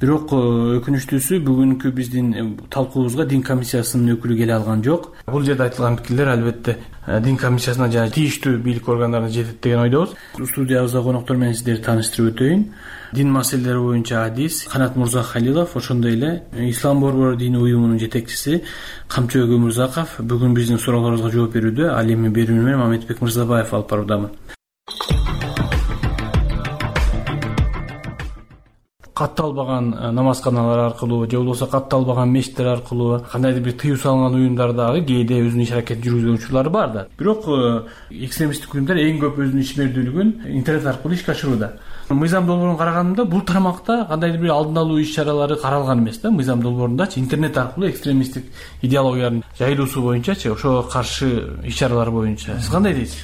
Бирок өкүнүчтүүсү бүгүнкү биздин талкуубузга дин комиссиясынын өкүлү келе алган жок. Бул жерде айтылган пикирлер албетте дин комиссиясына жана тийиштүү бийлик органдарына жетет деген ойдобуз. Студиябызда коноктор менен сиздерди тааныштырып өтөйүн. Дин маселелери боюнча адис Канат Мурзахалилов, ошондой эле Ислам борбору дини уюмунун жетекчиси Камчыбек Өмүрзаков бүгүн биздин суроолорубузга жооп берүүдө. Ал эми берүүнү менен Мамедбек Мырзабаев алып баруудамын. Катталбаган намазканалар аркылуу же болбосо катталбаган мечиттер аркылуу кандайдыр бир тыюу салынган уюмдар дагы кээде өзүнүн иш аракетин жүргүзгөн учурлары бар да. Бирок экстремисттик уюмдар эң көп өзүнүн ишмердүүлүгүн интернет аркылуу ишке ашырууда. Мыйзам долбоорун караганда бул тармакта кандайдыр бир алдын алуу иш чаралары каралган эмес да. Мыйзам долбоорундачы интернет аркылуу экстремисттик идеологиялардын жайылуусу боюнчачы, ошого каршы иш чаралар боюнча сиз кандай дейсиз?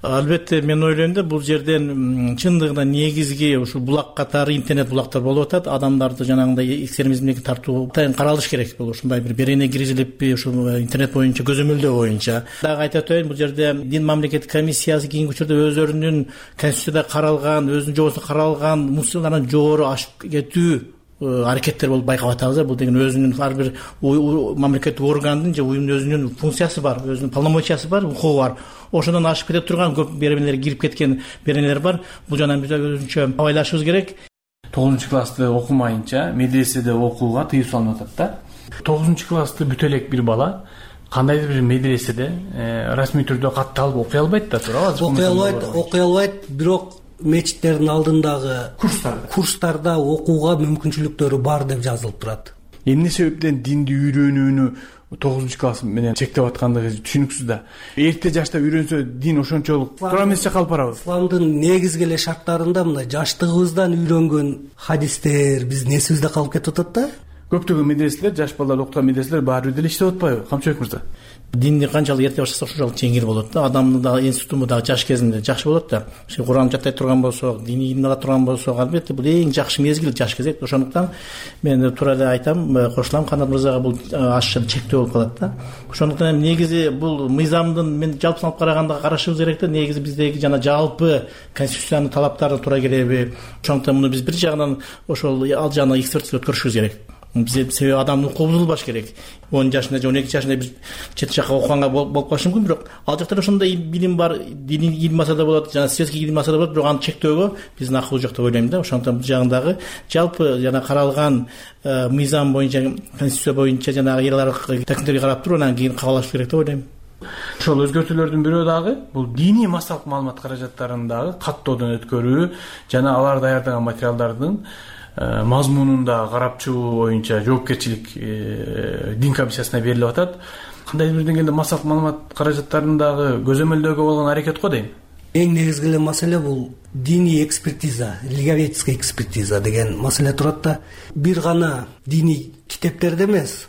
Албетте мен ойлойм да, бул жерден чындыгында негизги ушул булак катары интернет булактар болуп атат. Адамдарды жанагындай экстремизмге тартуу каралыш керек. Бул ушундай бир берене киргизилип ушул интернет боюнча көзөмөлдөө боюнча. Дагы айтып өтөйүн, бул жерде дин мамлекеттик комиссиясы кийинки учурда өздөрүнүн конституцияда каралган, өзүнүн жобосунда каралган мусулмандан жогору ашып кетүү аракеттер болуп байкап атабыз. Бул деген өзүнүн ар бир мамлекеттик органдын же уюмдун өзүнүн функциясы бар, өзүнүн полномочиясы бар, укугу бар. Ошондон ашып кете турган көп беренелер кирип кеткен беренелер бар. Бул жана биз өзүнчө абайлашыбыз керек. тогузунчу классты окумайынча медреседе окууга тыюу салынып атат да. тогузунчу классты бүтө элек бир бала кандайдыр бир медреседе расмий түрдө катталып окуй албайт да, туурабы? Окуй албайт, окуй албайт, бирок мечиттердин алдындагы курстарда курстарда окууга мүмкүнчүлүктөрү бар деп жазылып турат. Эмне себептен динди үйрөнүүнү тогузунчу класс менен чектеп аткандыгы түшүнүксүз да. Эрте жашта үйрөнсө дин ошончолук туура эмесче калып барабыз. Исламдын негизги эле шарттарында мына жаштыгыбыздан үйрөнгөн хадистер биздин эсибизде калып кетип атат да. Көптөгөн медреселер, жаш балдар окуган медреселер баары бир деле иштеп атпайбы, Камчыбек мырза? Динди канчалык эрте баштаса ошончолук жеңил болот да. Адамдын дагы институту дагы жаш кезинде жакшы болот да. Куран жаттай турган болсо, диний илим ала турган болсо, албетте бул эң жакшы мезгил жаш кезек. Ошондуктан мен туура эле айтам, кошулам, Канат мырзага бул ашча чектөө болуп калат да. Ошондуктан негизи бул мыйзамдын мен жалпысын алып караганда карашыбыз керек да. Негизи биздеги жана жалпы конституциянын талаптарына туура келеби? Ошондуктан муну биз бир жагынан ошол ал жагына экспертиза өткөрүшүбүз керек. Себеби адамдын укугу бузулбаш керек. он жашында же он эки жашында бир чет жакка окуганга болуп калышы мүмкүн, бирок ал жакта ошондой билим бар, диний илим алса да болот, жана светский илим алса да болот, бирок аны чектөөгө биздин акыл жок деп ойлойм да. Ошондуктан бул жагындагы жалпы жана каралган мыйзам боюнча, конституция боюнча жанагы эл аралык такминдерге карап туруп анан кийин кабыл алыш керек деп ойлойм. Ошол өзгөртүүлөрдүн бирөө дагы бул диний массалык маалымат каражаттарын дагы каттоодон өткөрүү жана алар даярдаган материалдардын мазмунунда карап чыгуу боюнча жоопкерчилик дин комиссиясына берилип атат. Кандайдыр бир деңгээлде массалык маалымат каражаттарын дагы көзөмөлдөөгө болгон аракет го дейм. Эң негизги эле маселе бул диний экспертиза, религиоведческая экспертиза деген маселе турат да. Бир гана диний китептерде эмес,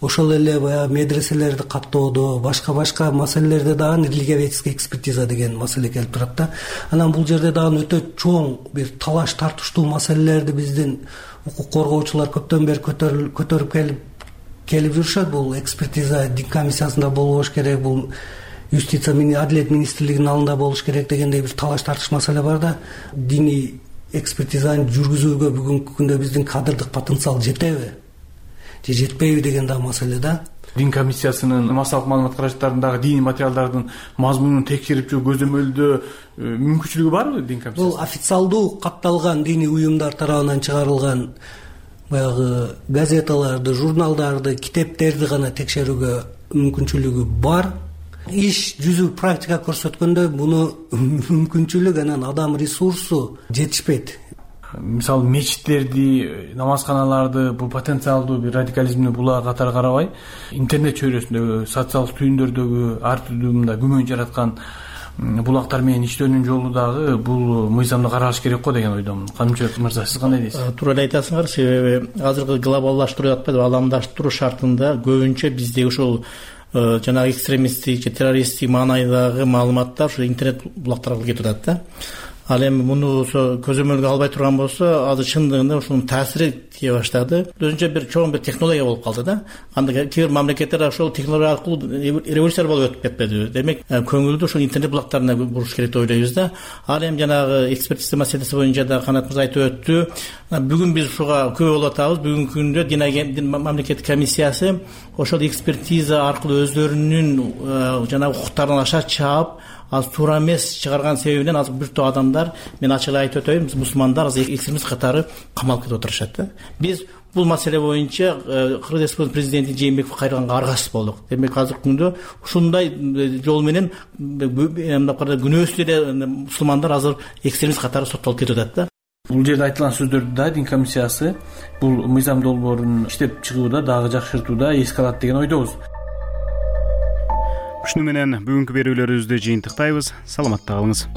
ошол эле баягы медреселерди каттоодо, башка-башка маселелерде дагы религиоведческая экспертиза деген маселе келип турат да. Анан бул жерде дагы өтө чоң бир талаш тартыштуу маселелерди биздин укук коргоочулар көптөн бери көтөрүп келип келип жүрүшөт. Бул экспертиза дин комиссиясында болбош керек, бул юстиция менен адилет министрлигинин алдында болуш керек дегендей бир талаш тартыш маселе бар да. Диний экспертизаны жүргүзүүгө бүгүнкү күндө биздин кадрдык потенциал жетеби же жетпейби деген да маселе да. Дин комиссиясынын массалык маалымат каражаттарындагы диний материалдардын мазмунун текшерип же көзөмөлдөө мүмкүнчүлүгү барбы дин комиссиясы? Бул официалдуу катталган диний уюмдар тарабынан чыгарылган баягы газеталарды, журналдарды, китептерди гана текшерүүгө мүмкүнчүлүгү бар. Иш жүзү практика көрсөткөндө буну мүмкүнчүлүк анан адам ресурсу жетишпейт. Мисалы мечиттерди, намазканаларды бул потенциалдуу бир радикализмди булар катары карабай, интернет чөйрөсүндөгү, социалдык түйүндөрдөгү ар түрдүү мындай күмөн жараткан булактар менен иштөөнүн жолу дагы бул мыйзамда каралыш керек го деген ойдомун. Камчыбек мырза, сиз кандай дейсиз? Туура эле айтасыңар, себеби азыркы глобалдаштыруу атпайбы, аламдаштыруу шартында көбүнчө биздеги ушул жанагы экстремисттик же террористтик маанайдагы маалыматтар ушу интернет булактарга кетип атат да. Ал эми муну көзөмөлгө албай турган болсо, азыр чындыгында ушунун таасири тие баштады. Өзүнчө бир чоң бир технология болуп калды да. Анда кээ бир мамлекеттер ошол технология аркылуу революция болуп өтүп кетпеди. Демек, көңүлдү ушул интернет булактарына буруш керек деп ойлойбуз да. Ал эми жанагы экспертиза маселеси боюнча да Канат мырза айтып өттү. Бүгүн биз ушуга күбө болуп атабыз. Бүгүнкү күндө дин мамлекеттик комиссиясы ошол экспертиза аркылуу өздөрүнүн жанагы укуктарын аша чаап, аз туура эмес чыгарган себебинен азыр бир топ адамдар, мен ачык айтып өтөйүн, мусулмандар азыр экстремист катары камалып кетип отурушат да. Биз бул маселе боюнча Кыргыз Республикасынын президенти Жээнбеков кайрылганга аргасыз болдук. Демек азыркы күндө ушундай жол менен мындай караганда күнөөсүз эле мусулмандар азыр экстремист катары соттолуп кетип атат да. Бул жерде айтылган сөздөрдү да дин комиссиясы бул мыйзам долбоорун иштеп чыгууда дагы жакшыртууда эске алат деген ойдобуз. Ушуну менен бүгүнкү берүүлөрүбүздү жыйынтыктайбыз. Саламатта калыңыз.